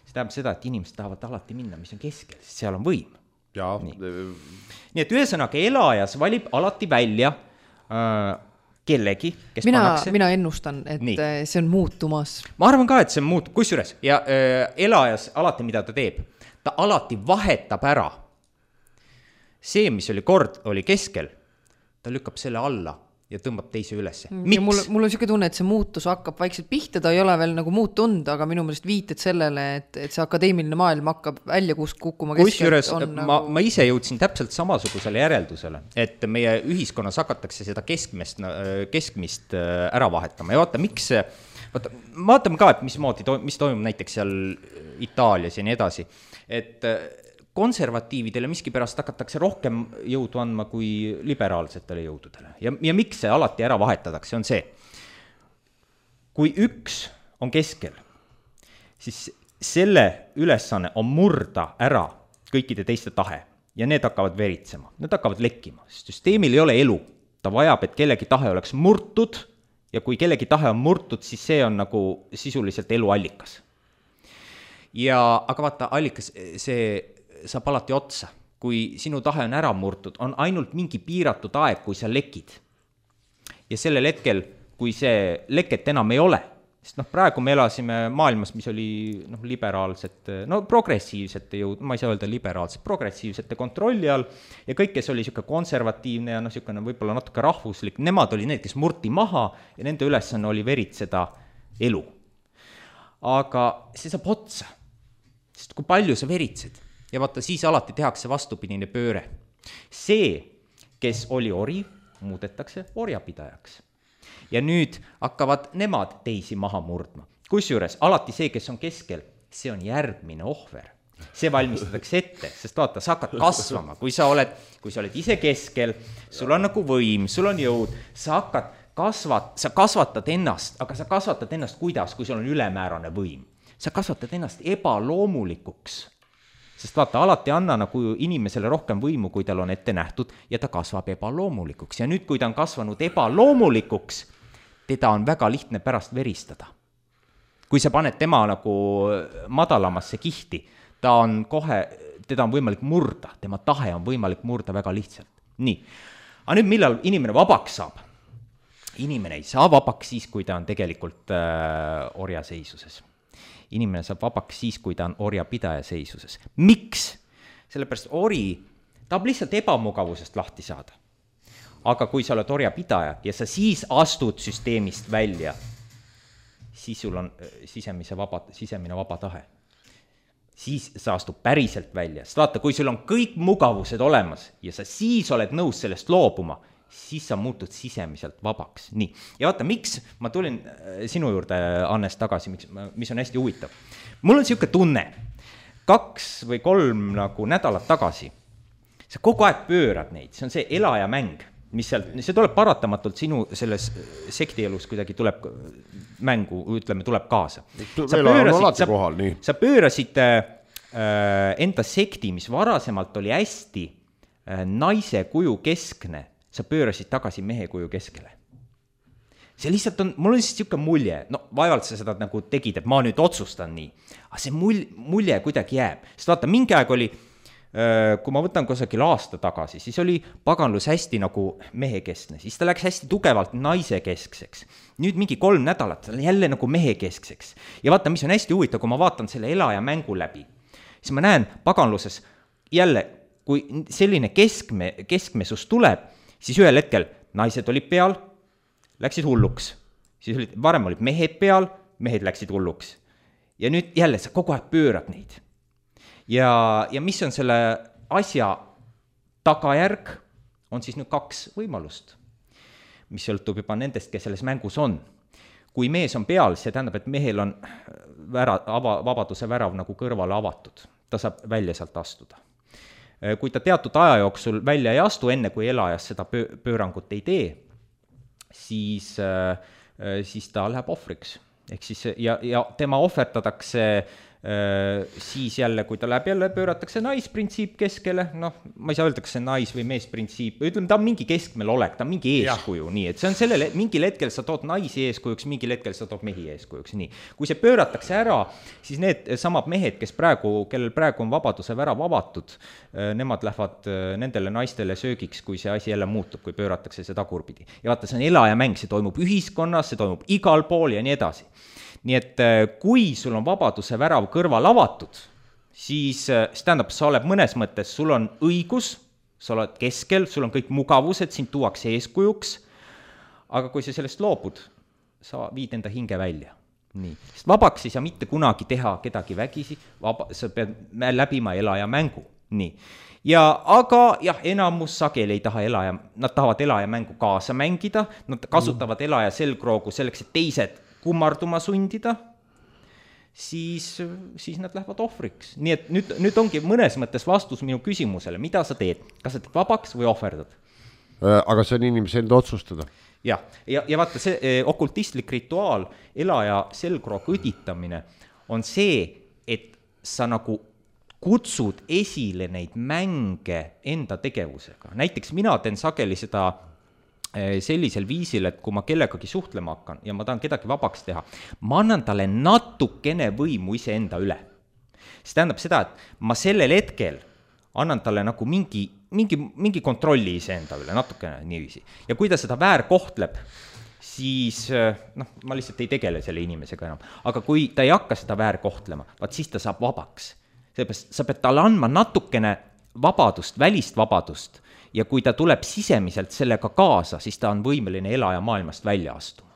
See tähendab seda, et inimesed tahavad alati minna, mis on keskel, sest seal on võim. Nii et ühesõnaga elajas valib alati välja kellegi, kes pannakse. Mina ennustan, et see on muutumas. Ma arvan ka, et see on muutub. Kusjuures, ja elajas alati, mida ta teeb, ta alati vahetab ära. See, mis oli keskel, ta lükkab selle alla ja tõmbab teise ülesse. Miks? Mul on siuke tunne, et see muutus hakkab vaikselt pihta, ta ei ole veel nagu muutunud, aga minu meelest viited sellele, et see akadeemiline maailm hakkab välja kukkuma keskelt. Kusjuures ma ise jõudsin täpselt samasugusele järeldusele, et meie ühiskonnas hakatakse seda keskmist ära vahetama. Ja vaatame ka, et mis toimub näiteks seal Itaalias ja nii edasi, et konservatiividele miskipärast hakatakse rohkem jõudu andma kui liberaalsetele jõududele. Ja miks see alati ära vahetatakse, on see. Kui üks on keskel, siis selle ülesanne on murda ära kõikide teiste tahe ja need hakkavad veritsema, need hakkavad lekkima. Süsteemil ei ole elu, ta vajab, et kellegi tahe oleks murtud ja kui kellegi tahe on murtud, siis see on nagu sisuliselt eluallikas. Aga vaata, allikas, see saab alati otsa. Kui sinu tahe on ära murtud, on ainult mingi piiratud aeg, kui sa lekid. Ja sellel hetkel, kui see leket enam ei ole, sest praegu me elasime maailmas, mis oli liberaalsete, progressiivsete jõud, ma ei saa öelda liberaalsete, progressiivsete kontrolli all ja kõik, kes oli niisugune konservatiivne ja niisugune võib-olla natuke rahvuslik, nemad oli need, kes murti maha ja nende ülesanne oli veritseda elu. Aga see saab otsa, sest kui palju sa veritsed ja vaata, siis alati tehakse vastupidine pööre. See, kes oli ori, muudetakse orjapidajaks. Ja nüüd hakkavad nemad teisi maha murdma. Kusjuures alati see, kes on keskel, see on järgmine ohver. See valmistatakse ette, sest vaata, sa hakkad kasvama. Kui sa oled ise keskel, sul on nagu võim, sul on jõud, sa kasvatad ennast, aga sa kasvatad ennast kuidas, kui sul on ülemäärane võim. Sa kasvatad ennast ebaloomulikuks. Sest vaata, alati anna nagu inimesele rohkem võimu, kui tal on ette nähtud ja ta kasvab ebaloomulikuks. Ja nüüd, kui ta on kasvanud ebaloomulikuks, teda on väga lihtne pärast veristada. Kui sa paned tema nagu madalamasse kihti, teda on võimalik murda, tema tahe on võimalik murda väga lihtsalt. Nii, aga nüüd millal inimene vabaks saab? Inimene ei saa vabaks siis, kui ta on tegelikult orjaseisuses. Inimene saab vabaks siis, kui ta on orjapidaja seisuses. Miks? Sellepärast ori tahab lihtsalt ebamugavusest lahti saada. Aga kui sa oled orjapidaja ja sa siis astud süsteemist välja, siis sul on sisemine vaba tahe. Siis sa astub päriselt välja. Sest vaata, kui sul on kõik mugavused olemas ja sa siis oled nõus sellest loobuma, siis sa muutud sisemiselt vabaks. Nii. Ja vaata, miks ma tulin sinu juurde, Annes, tagasi, mis on hästi huvitav. Mul on siuke tunne, 2 või 3 nagu nädalat tagasi, sa kogu aeg pöörad neid, see on see elaja mäng, see tuleb paratamatult sinu selles sektielus kuidagi tuleb mängu, tuleb kaasa. Sa pöörasid enda sekti, mis varasemalt oli hästi naise kuju keskne, sa pöörasid tagasi mehe kuju keskele. See lihtsalt on, mul on siis niisugune mulje, vaevalt sa seda nagu tegid, et ma nüüd otsustan nii, aga see mulje kuidagi jääb. Sest vaata, mingi aeg oli, kui ma võtan kusagil aasta tagasi, siis oli paganlus hästi nagu mehekeskne, siis ta läks hästi tugevalt naise keskseks. Nüüd mingi 3 nädalat, ta on jälle nagu mehekeskseks. Ja vaata, mis on hästi huvitav, kui ma vaatan selle elaja mängu läbi, siis ma näen paganluses jälle, kui selline keskmesus tuleb, siis ühel hetkel naised olid peal, läksid hulluks. Siis varem olid mehed peal, mehed läksid hulluks. Ja nüüd jälle sa kogu aeg pöörad neid. Ja mis on selle asja tagajärg, on siis nüüd 2 võimalust, mis sõltub juba nendest, kes selles mängus on. Kui mees on peal, see tähendab, et mehel on vabaduse värav nagu kõrvale avatud. Ta saab välja sealt astuda. Kui ta teatud aja jooksul välja ei astu, enne kui elajas seda pöörangut ei tee, siis ta läheb ohvriks. Ehk siis, ja tema ohverdatakse siis jälle, kui ta läheb jälle, pööratakse naisprintsiip keskele, ma ei saa öelda, kas see nais- või meesprintsiip, ütleme, ta on mingi keskmel olek, ta on mingi eeskuju, nii, et see on mingil hetkel sa tood naisi eeskujuks, mingil hetkel sa tood mehi eeskujuks, nii. Kui see pööratakse ära, siis need samad mehed, kellel praegu on vabaduse värav avatud, nemad lähevad nendele naistele söögiks, kui see asi jälle muutub, kui pööratakse see tagurpidi. Ja vaata, see on elaja mäng, see toimub ühiskonnas, see toimub igal pool ja nii edasi. Nii et kui sul on vabaduse värav kõrval avatud, siis tähendab, sa oled mõnes mõttes, sul on õigus, sa oled keskel, sul on kõik mugavused, sind tuuakse eeskujuks, aga kui sa sellest loobud, sa viid enda hinge välja. Nii. Sest vabaks ei saa mitte kunagi teha kedagi vägisi, sa pead läbima elaja mängu. Nii. Aga enamus sageli ei taha nad tahavad elaja mängu kaasa mängida, nad kasutavad elaja selgroogu selleks, et teised kummarduma sundida, siis nad lähevad ohvriks. Nii et nüüd ongi mõnes mõttes vastus minu küsimusele, mida sa teed, kas sa teed vabaks või ohverdad? Aga see on inimese enda otsustada. Ja vaata, see okultistlik rituaal, elaja selgroog õditamine on see, et sa nagu kutsud esile neid mänge enda tegevusega. Näiteks mina teen sageli seda sellisel viisil, et kui ma kellegagi suhtlema hakkan ja ma tahan kedagi vabaks teha, ma annan talle natukene võimu iseenda üle. See tähendab seda, et ma sellel hetkel annan talle nagu mingi kontrolli iseenda üle, natukene niiviisi. Ja kui ta seda väärkohtleb, siis noh, ma lihtsalt ei tegele selle inimesega enam. Aga kui ta ei hakka seda väärkohtlema, vaat siis ta saab vabaks. Seepärast sa pead talle andma natukene vabadust, välist vabadust ja kui ta tuleb sisemiselt sellega kaasa, siis ta on võimeline elaja maailmast välja astuma.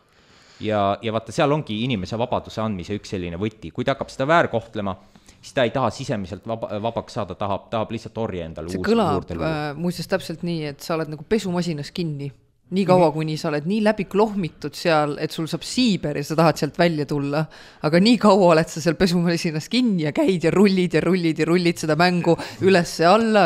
Ja vaata, seal ongi inimese vabaduse andmise üks selline võti. Kui ta hakkab seda väärkohtlema, siis ta ei taha sisemiselt vabaks saada, tahab lihtsalt orje endale see kõlab muuseas täpselt nii, et sa oled nagu pesumasinas kinni. Nii kaua, kuni sa oled nii läbi klohmitud seal, et sul saab siiber ja sa tahad sealt välja tulla. Aga nii kaua oled sa seal pesumasinas kinni ja käid ja rullid seda mängu ülesse alla.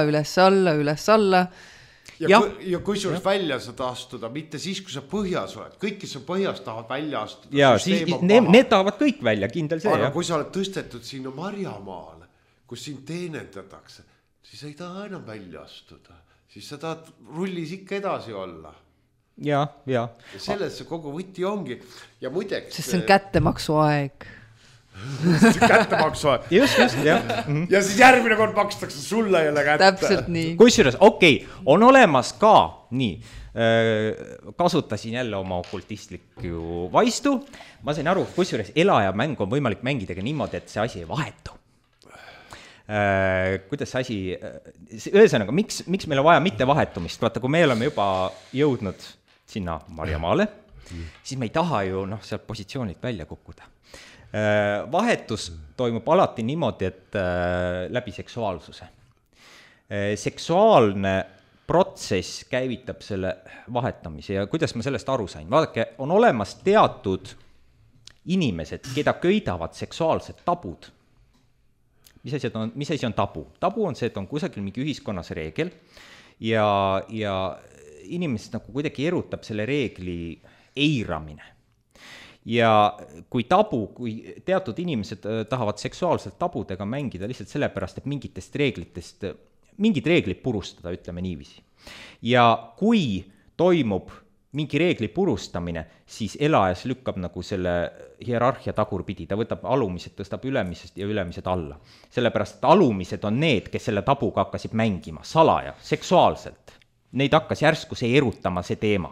Ja kui sul välja saad astuda, mitte siis, kui sa põhjas oled. Kõik, kes on põhjas, tahavad välja astuda. Ja siis need tahavad kõik välja, kindel see. Aga kui sa oled tõstetud sinna Marjamaale, kus sind teenendatakse, siis ei taha enam välja astuda. Siis sa tahad rullis ikka edasi olla. Ja selles see kogu võti ongi. Ja muideks... Sest see on kättemaksu aeg. Kättemaksu aeg. Just, jah. Ja siis järgmine kord makstakse sulle jälle kätte. Täpselt nii. Kusjuures, on olemas ka, nii, kasutasin jälle oma okultistlikku vaistu. Ma sain aru, kusjuures elaja mäng on võimalik mängida niimoodi, et see asi ei vahetu. Kuidas see asi, ühesõnaga, miks meil on vaja mitte vahetumist? Vaata, kui me oleme juba jõudnud sinna Marjamaale, siis me ei taha ju sealt positsioonilt välja kukkuda. Vahetus toimub alati niimoodi, et läbi seksuaalsuse. Seksuaalne protsess käivitab selle vahetamise ja kuidas ma sellest aru sain? Vaadake, on olemas teatud inimesed, keda köidavad seksuaalsed tabud. Mis asi on tabu? Tabu on see, et on kusagil mingi ühiskonnas reegel ja inimesed nagu kuidagi erutab selle reegli eiramine. Ja kui teatud inimesed tahavad seksuaalselt tabudega mängida lihtsalt sellepärast, et mingid reeglid purustada, ütleme niiviisi. Ja kui toimub mingi reegli purustamine, siis elajas lükkab nagu selle hierarhia tagurpidi, ta võtab alumised, tõstab ülemised ja ülemised alla. Sellepärast, et alumised on need, kes selle tabuga hakkasid mängima, salaja, seksuaalselt. Neid hakkas järsku see erutama see teema.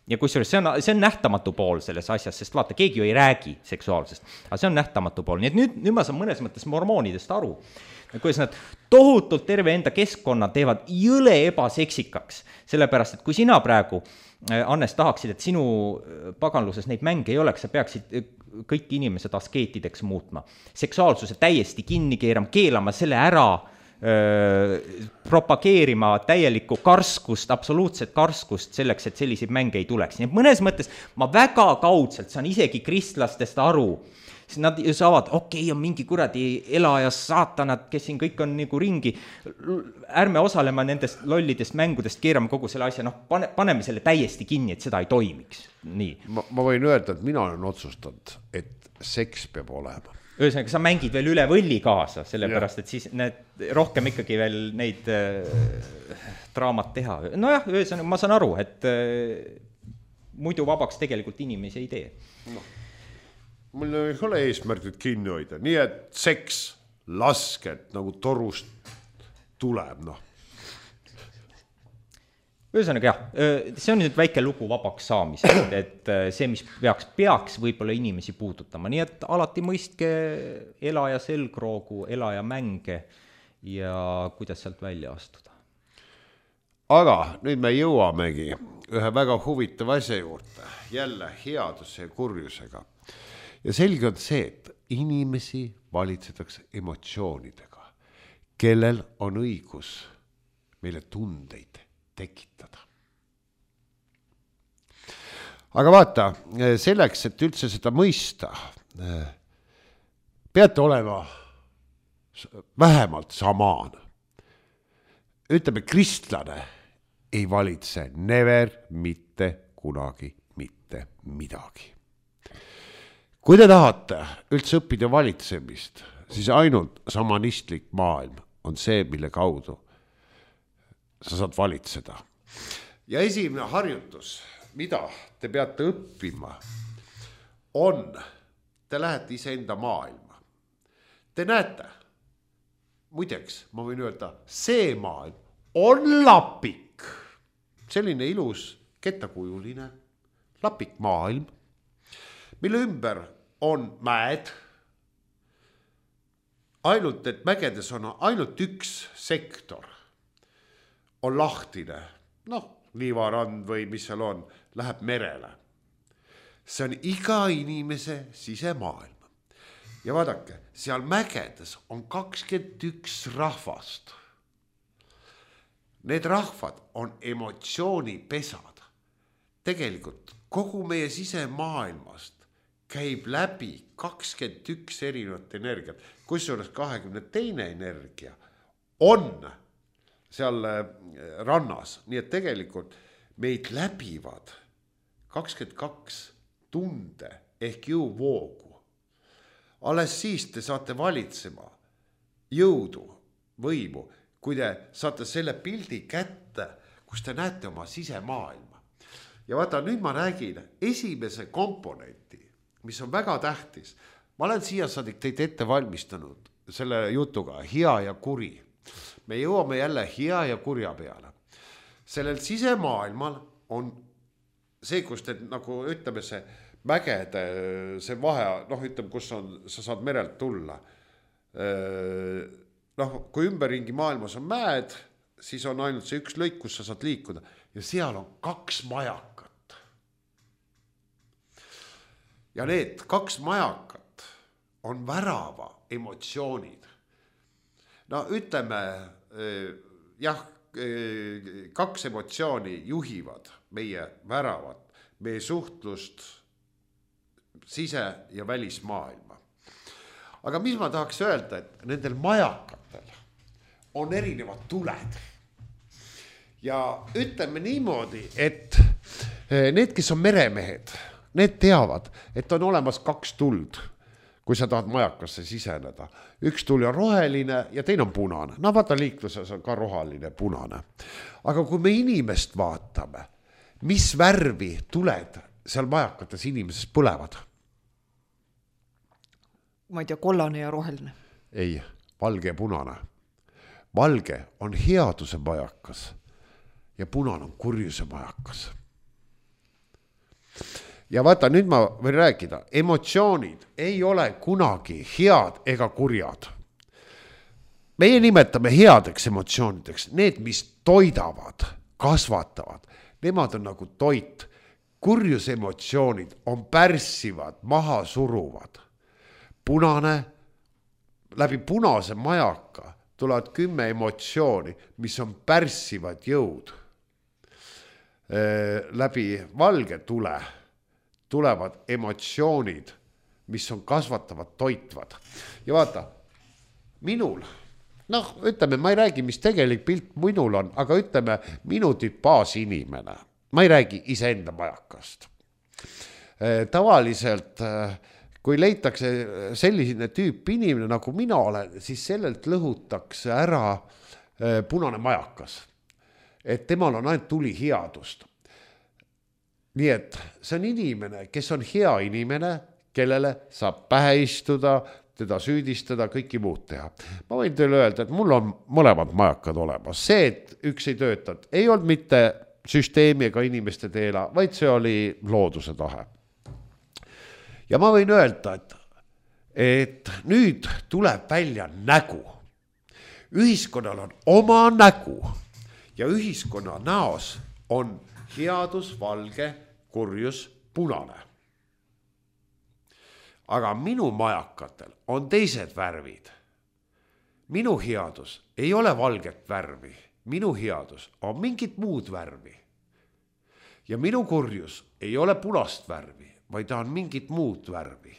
Ja kusjuures see on nähtamatu pool selles asjas, sest vaata, keegi ju ei räägi seksuaalsest, aga see on nähtamatu pool. Nii et nüüd ma saan mõnes mõttes mormoonidest aru, kuidas nad tohutult terve enda keskkonna teevad jõle ebaseksikaks, sellepärast, et kui sina praegu, Annes, tahaksid, et sinu paganluses neid mänge ei oleks, sa peaksid kõik inimesed askeetideks muutma, seksuaalsuse täiesti kinni keelama selle ära, propageerima täielikku karskust, absoluutset karskust selleks, et selliseid mänge ei tuleks. Nii et mõnes mõttes ma väga kaudselt saan isegi kristlastest aru. Nad saavad, on mingi kuradi elajas saatanad, kes siin kõik on nagu ringi. Ärme osalema nendest lollidest mängudest, keerame kogu selle asja, paneme selle täiesti kinni, et seda ei toimiks. Nii. Ma võin öelda, et mina olen otsustanud, et seks peab olema. Ühesõnaga, sa mängid veel üle võlli kaasa, sellepärast, et siis rohkem ikkagi veel neid draamat teha. Nojah, ühesõnaga, ma saan aru, et muidu vabaks tegelikult inimesi ei tee. Mul ei ole eesmärgid kinni hoida, nii et seks lasket nagu torust tuleb, Ühesõnaga jah, see on nüüd väike lugu vabaks saamisest, et see, mis peaks võib-olla inimesi puudutama, nii et alati mõistke elaja selgroogu, elaja mänge ja kuidas sealt välja astuda. Aga nüüd me jõuamegi ühe väga huvitava asja juurde, jälle headuse ja kurjusega. Ja selge on see, et inimesi valitsetakse emotsioonidega, kellel on õigus meile tundeid tekitada. Aga vaata, selleks, et üldse seda mõista, peate olema vähemalt samaan. Ütleme, kristlane ei valitse never mitte kunagi mitte midagi. Kui te tahate üldse õppida valitsemist, siis ainult samanistlik maailm on see, mille kaudu sa saad valitseda. Ja esimene harjutus, mida te peate õppima, on, te lähete iseenda maailma. Te näete, muideks, ma võin öelda, see maailm on lapik. Selline ilus kettakujuline lapik maailm, mille ümber on mäed, ainult et mägedes on ainult üks sektor, on lahtine, liivarand või mis seal on, läheb merele. See on iga inimese sisemaailm. Ja vaadake, seal mägedes on 21 rahvast. Need rahvad on emotsioonipesad. Tegelikult kogu meie sisemaailmast käib läbi 21 erinevat energiat, kusjuures 22 energia on seal rannas, nii et tegelikult meid läbivad 22 tunde ehk jõuvoogu. Alles siis te saate valitsema jõudu, võimu, kui te saate selle pildi kätte, kus te näete oma sisemaailma. Ja vaata, nüüd ma räägin esimese komponenti, mis on väga tähtis. Ma olen siia saadik teid ette valmistanud selle jutuga, hea ja kuri. Me jõuame jälle hea ja kurja peale. Sellel sisemaailmal on see, kus te nagu ütleme see mägede, see vahe, ütleme, kus on, sa saad merelt tulla. Kui ümberringi maailmas on mäed, siis on ainult see üks lõik, kus sa saad liikuda. Ja seal on 2 majakat. Ja need 2 majakat on värava emotsioonid. Ütleme, 2 emotsiooni juhivad meie väravat, meie suhtlust sise- ja välismaailma. Aga mis ma tahaks öelda, et nendel majakatel on erinevad tuled. Ja ütleme niimoodi, et need, kes on meremehed, need teavad, et on olemas 2 tuld, kui sa tahad majakasse siseneda. Üks tuli on roheline ja teine on punane. Vaata liikluses on ka roheline, punane. Aga kui me inimest vaatame, mis värvi tuled seal majakates inimeses põlevad? Ma ei tea, kollane ja roheline. Ei, valge ja punane. Valge on headuse majakas ja punane on kurjuse majakas. Ja vaata, nüüd ma võin rääkida, emotsioonid ei ole kunagi head ega kurjad. Meie nimetame headeks emotsioonideks, need, mis toidavad, kasvatavad, nemad on nagu toit. Kurjus emotsioonid on pärssivad, maha suruvad. Punane, läbi punase majaka tulevad 10 emotsiooni, mis on pärssivad jõud. Läbi valge tule tulevad emotsioonid, mis on kasvatavad, toitvad. Ja vaata, minul, ütleme, ma ei räägi, mis tegelik pilt minul on, aga ütleme, minu tüüp baasinimene. Ma ei räägi iseenda majakast. Tavaliselt, kui leitakse selline tüüp inimene, nagu mina olen, siis sellelt lõhutakse ära punane majakas. Et temal on ainult tuli headust. Nii et see on inimene, kes on hea inimene, kellele saab pähe istuda, teda süüdistada, kõiki muud teha. Ma võin teile öelda, et mul on mõlemad majakad olemas. See, et üks ei töötanud, ei olnud mitte süsteemi ega inimeste teela, vaid see oli looduse tahe. Ja ma võin öelda, et nüüd tuleb välja nägu. Ühiskonnal on oma nägu ja ühiskonna näos on headus, valge, kurjus, punane. Aga minu majakatel on teised värvid. Minu headus ei ole valget värvi. Minu headus on mingit muud värvi. Ja minu kurjus ei ole punast värvi, vaid ta on mingit muud värvi.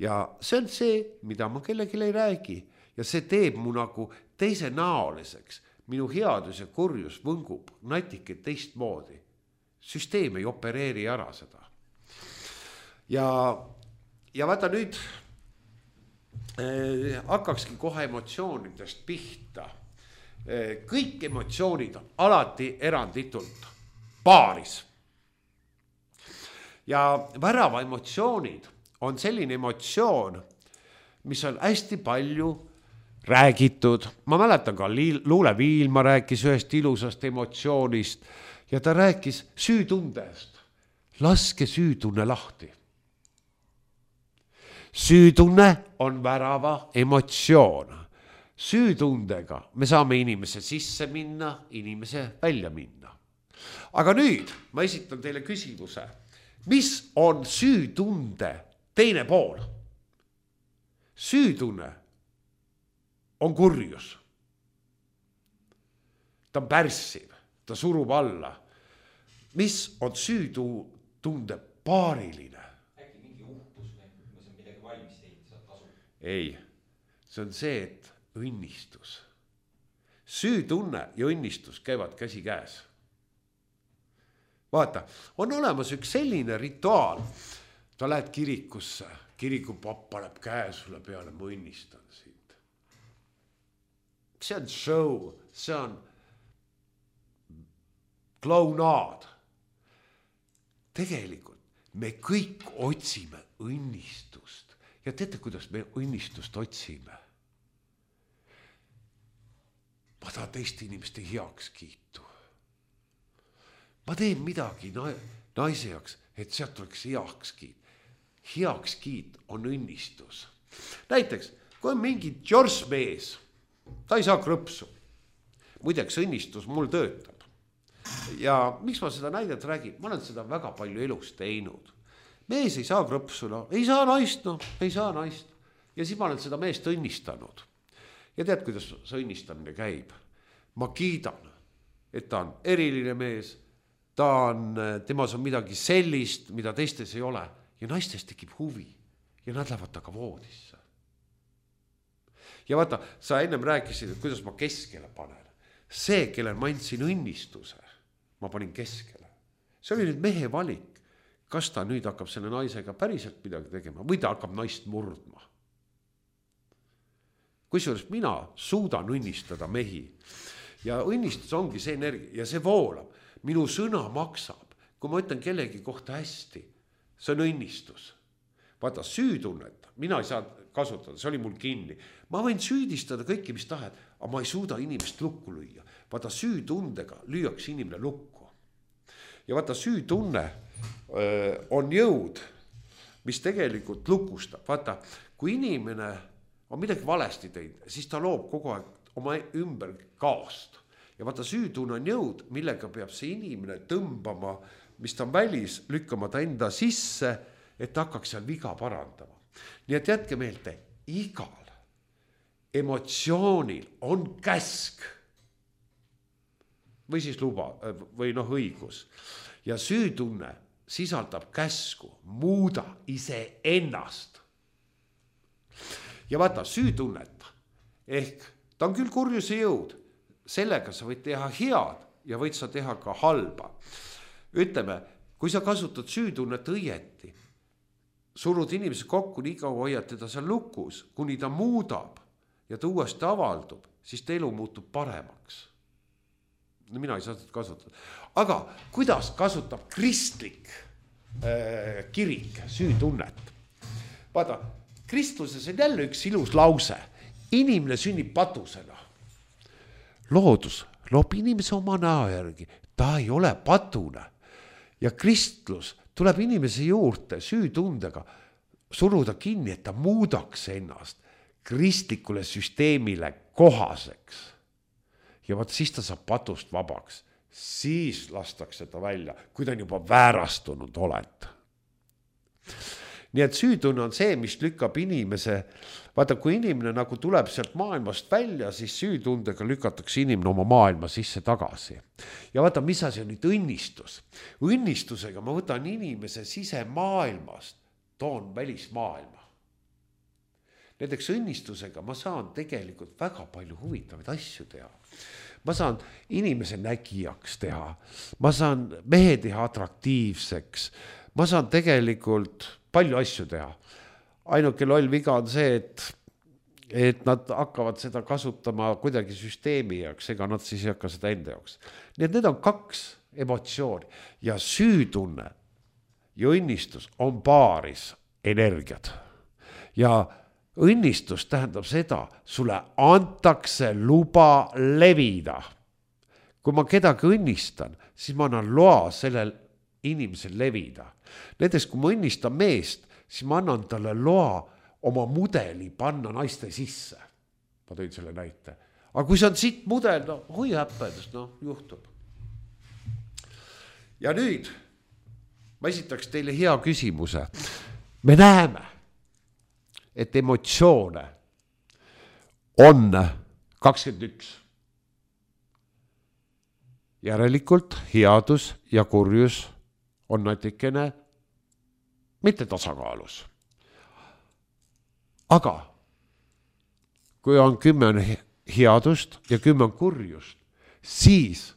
Ja see on see, mida ma kellelegi ei räägi. Ja see teeb mu nagu teise näoliseks. Minu headus ja kurjus võngub natike teistmoodi. Süsteem ei opereeri ära seda. Ja vaata nüüd hakkakski kohe emotsioonidest pihta. Kõik emotsioonid on alati eranditult paaris. Ja värava emotsioonid on selline emotsioon, mis on hästi palju räägitud. Ma mäletan ka Luule Viilma rääkis ühest ilusast emotsioonist ja ta rääkis süütundest. laske süütunne lahti. Süütunne on värava emotsioon. Süütundega me saame inimese sisse minna, inimese välja minna. Aga nüüd ma esitan teile küsimuse. Mis on süütunde teine pool? Süütunne on kurjus. Ta on pärssiv, ta surub alla. Mis on süütunde paariline? Äkki mingi uhkus või ma saan midagi valmis teinud, saad tasu? Ei, see on see, et õnnistus. Süütunne ja õnnistus käivad käsi käes. Vaata, on olemas üks selline rituaal. Ta lähed kirikusse, kirikupapp paneb käe sulle peale, ma õnnistan sind. See on show, see on klaunaad. Tegelikult me kõik otsime õnnistust. Ja teate, kuidas me õnnistust otsime? Ma tahan teiste inimeste heakskiitu. Ma teen midagi naise jaoks, et sealt oleks heakskiit. Heakskiit on õnnistus. Näiteks, kui on mingi jorsmees, ta ei saa krõpsu. Muideks õnnistus mul töötab. Ja miks ma seda näidet räägin? Ma olen seda väga palju elus teinud. Mees ei saa krõpsu, ei saa naist, ei saa naist. Ja siis ma olen seda meest õnnistanud. Ja tead, kuidas see õnnistamine käib? Ma kiidan, et ta on eriline mees, temas on midagi sellist, mida teistes ei ole. Ja naistes tekib huvi ja nad lähevad taga voodisse. Ja vaata, sa ennem rääkisid, et kuidas ma keskele panen. See, kellel ma andsin õnnistuse, ma panin keskele. See oli nüüd mehe valik. Kas ta nüüd hakkab selle naisega päriselt midagi tegema või ta hakkab naist murdma. Kusjuures mina suudan õnnistada mehi. Ja õnnistus ongi see energia ja see voolab. Minu sõna maksab. Kui ma ütlen kellegi kohta hästi, see on õnnistus. Vaata, süütunnet, mina ei saa kasutada, see oli mul kinni. Ma võin süüdistada kõiki, mis tahed, aga ma ei suuda inimest lukku lüüa. Vaata, süütundega lüüakse inimene lukku. Ja vaata, süütunne on jõud, mis tegelikult lukustab. Vaata, kui inimene on midagi valesti teinud, siis ta loob kogu aeg oma ümber kaost. Ja vaata, süütunne on jõud, millega peab see inimene tõmbama, mis ta on välis, lükkama ta enda sisse, et ta hakkaks seal viga parandama. Nii et jätke meelde, igal emotsioonil on käsk või siis luba või õigus. Ja süütunne sisaldab käsku, muuda ise ennast. Ja vaata, süütunnet ehk ta on küll kurjuse jõud, sellega sa võid teha head ja võid sa teha ka halba. Ütleme, kui sa kasutad süütunnet õieti, surud inimese kokku, nii kaua hoiad teda seal lukus, kuni ta muudab ja ta uuesti avaldub, siis ta elu muutub paremaks. Mina ei saa seda kasutada. Aga kuidas kasutab kristlik kirik süütunnet? Vaata, kristluses on jälle üks ilus lause. Inimene sünnib patusena. Loodus loob inimese oma näo järgi. Ta ei ole patune. Ja kristlus tuleb inimese juurde süütundega suruda kinni, et ta muudaks ennast kristlikule süsteemile kohaseks. Ja vaat siis ta saab patust vabaks. Siis lastakse ta välja, kui ta on juba väärastunud oled. Nii et süütunne on see, mis lükkab inimese, vaata, kui inimene nagu tuleb sealt maailmast välja, siis süütundega lükatakse inimene oma maailma sisse tagasi. Ja vaata, mis asi on nüüd õnnistus. Õnnistusega ma võtan inimese sisemaailmast, toon välismaailma. Näiteks õnnistusega ma saan tegelikult väga palju huvitavaid asju teha. Ma saan inimese nägijaks teha, ma saan mehe teha atraktiivseks, ma saan tegelikult palju asju teha. Ainuke loll viga on see, et nad hakkavad seda kasutama kuidagi süsteemi jaoks, ega nad siis ei hakka seda enda jaoks. Nii et need on kaks emotsiooni ja süütunne ja õnnistus on paaris energiat. Ja õnnistus tähendab seda, sulle antakse luba levida. Kui ma kedagi õnnistan, siis ma annan loa sellel inimesel levida. Näiteks kui ma õnnistan meest, siis ma annan talle loa oma mudeli panna naiste sisse. Ma tõin selle näite. Aga kui see on siit mudel, no hui häppedest, no juhtub. Ja nüüd ma esitaks teile hea küsimuse. Me näeme, et emotsioone on 21. Järelikult headus ja kurjus on natikene mitte tasakaalus. Aga kui on 10 headust ja 10 kurjust, siis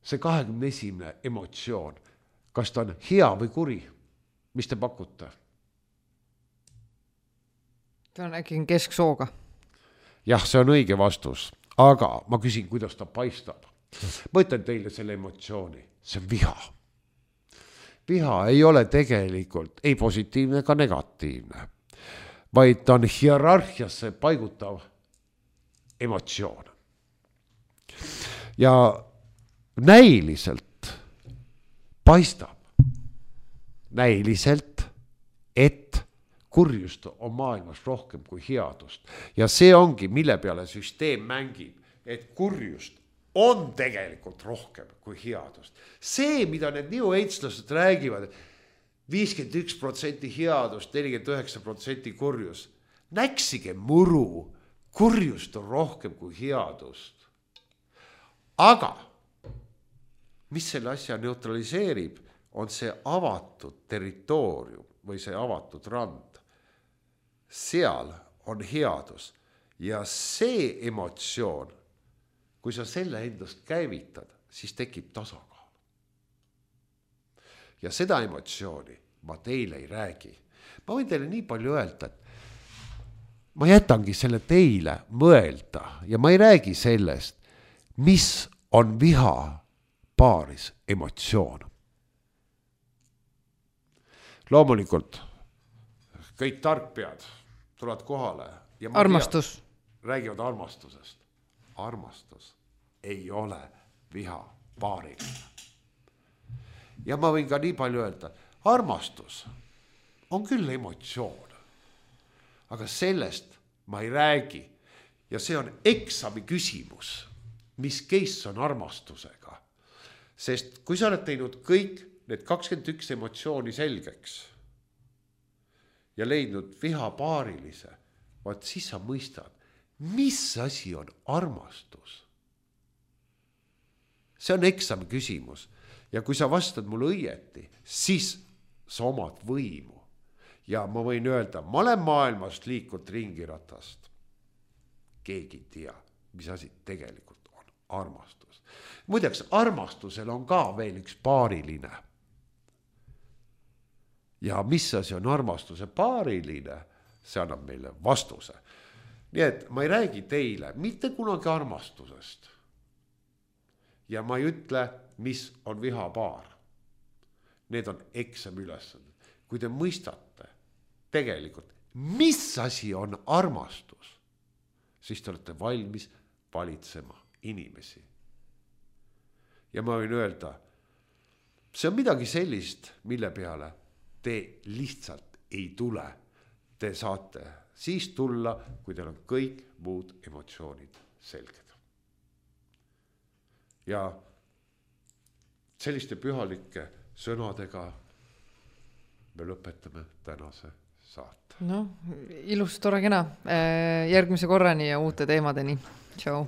see 21. emotsioon, kas ta on hea või kuri, mis te pakute? Ta on äkki kesksooga. Jah, see on õige vastus, aga ma küsin, kuidas ta paistab. Ma ütlen teile selle emotsiooni, see on viha. Viha ei ole tegelikult ei positiivne ega negatiivne, vaid ta on hierarhiasse paigutav emotsioon. Ja näiliselt paistab, et kurjust on maailmas rohkem kui headust. Ja see ongi, mille peale süsteem mängib, et kurjust on tegelikult rohkem kui headust. See, mida need New Age-lased räägivad, 51% headust, 49% kurjus. Näksige muru, kurjust on rohkem kui headust. Aga mis selle asja neutraliseerib, on see avatud territoorium või see avatud rand. Seal on headus ja see emotsioon, kui sa selle endast käivitad, siis tekib tasakaal. Ja seda emotsiooni ma teile ei räägi. Ma võin teile nii palju öelda, et ma jätangi selle teile mõelda ja ma ei räägi sellest, mis on viha paaris emotsioon. Loomulikult kõik tarkpead tulevad kohale. Ja armastus. Räägivad armastusest. Armastus ei ole viha paariline. Ja ma võin ka nii palju öelda, armastus on küll emotsioon, aga sellest ma ei räägi. Ja see on eksami küsimus, mis case on armastusega. Sest kui sa oled teinud kõik need 21 emotsiooni selgeks ja leidnud viha paarilise, vaat siis sa mõistad, mis asi on armastus. See on eksami küsimus. Ja kui sa vastad mulle õieti, siis sa omad võimu. Ja ma võin öelda, ma olen maailmast liikunud ringiratast. Keegi ei tea, mis asi tegelikult on armastus. Muideks, armastusel on ka veel üks paariline. Ja mis asi on armastuse paariline, see annab meile vastuse. Nii et ma ei räägi teile mitte kunagi armastusest. Ja ma ei ütle, mis on vihapaar. Need on eksami ülesanded. Kui te mõistate tegelikult, mis asi on armastus, siis te olete valmis valitsema inimesi. Ja ma võin öelda, see on midagi sellist, mille peale te lihtsalt ei tule. Te saate siis tulla, kui teil on kõik muud emotsioonid selged. Ja selliste pühalike sõnadega me lõpetame tänase saate. No, ilus, tore, kena. Järgmise korrani ja uute teemadeni. Tšau.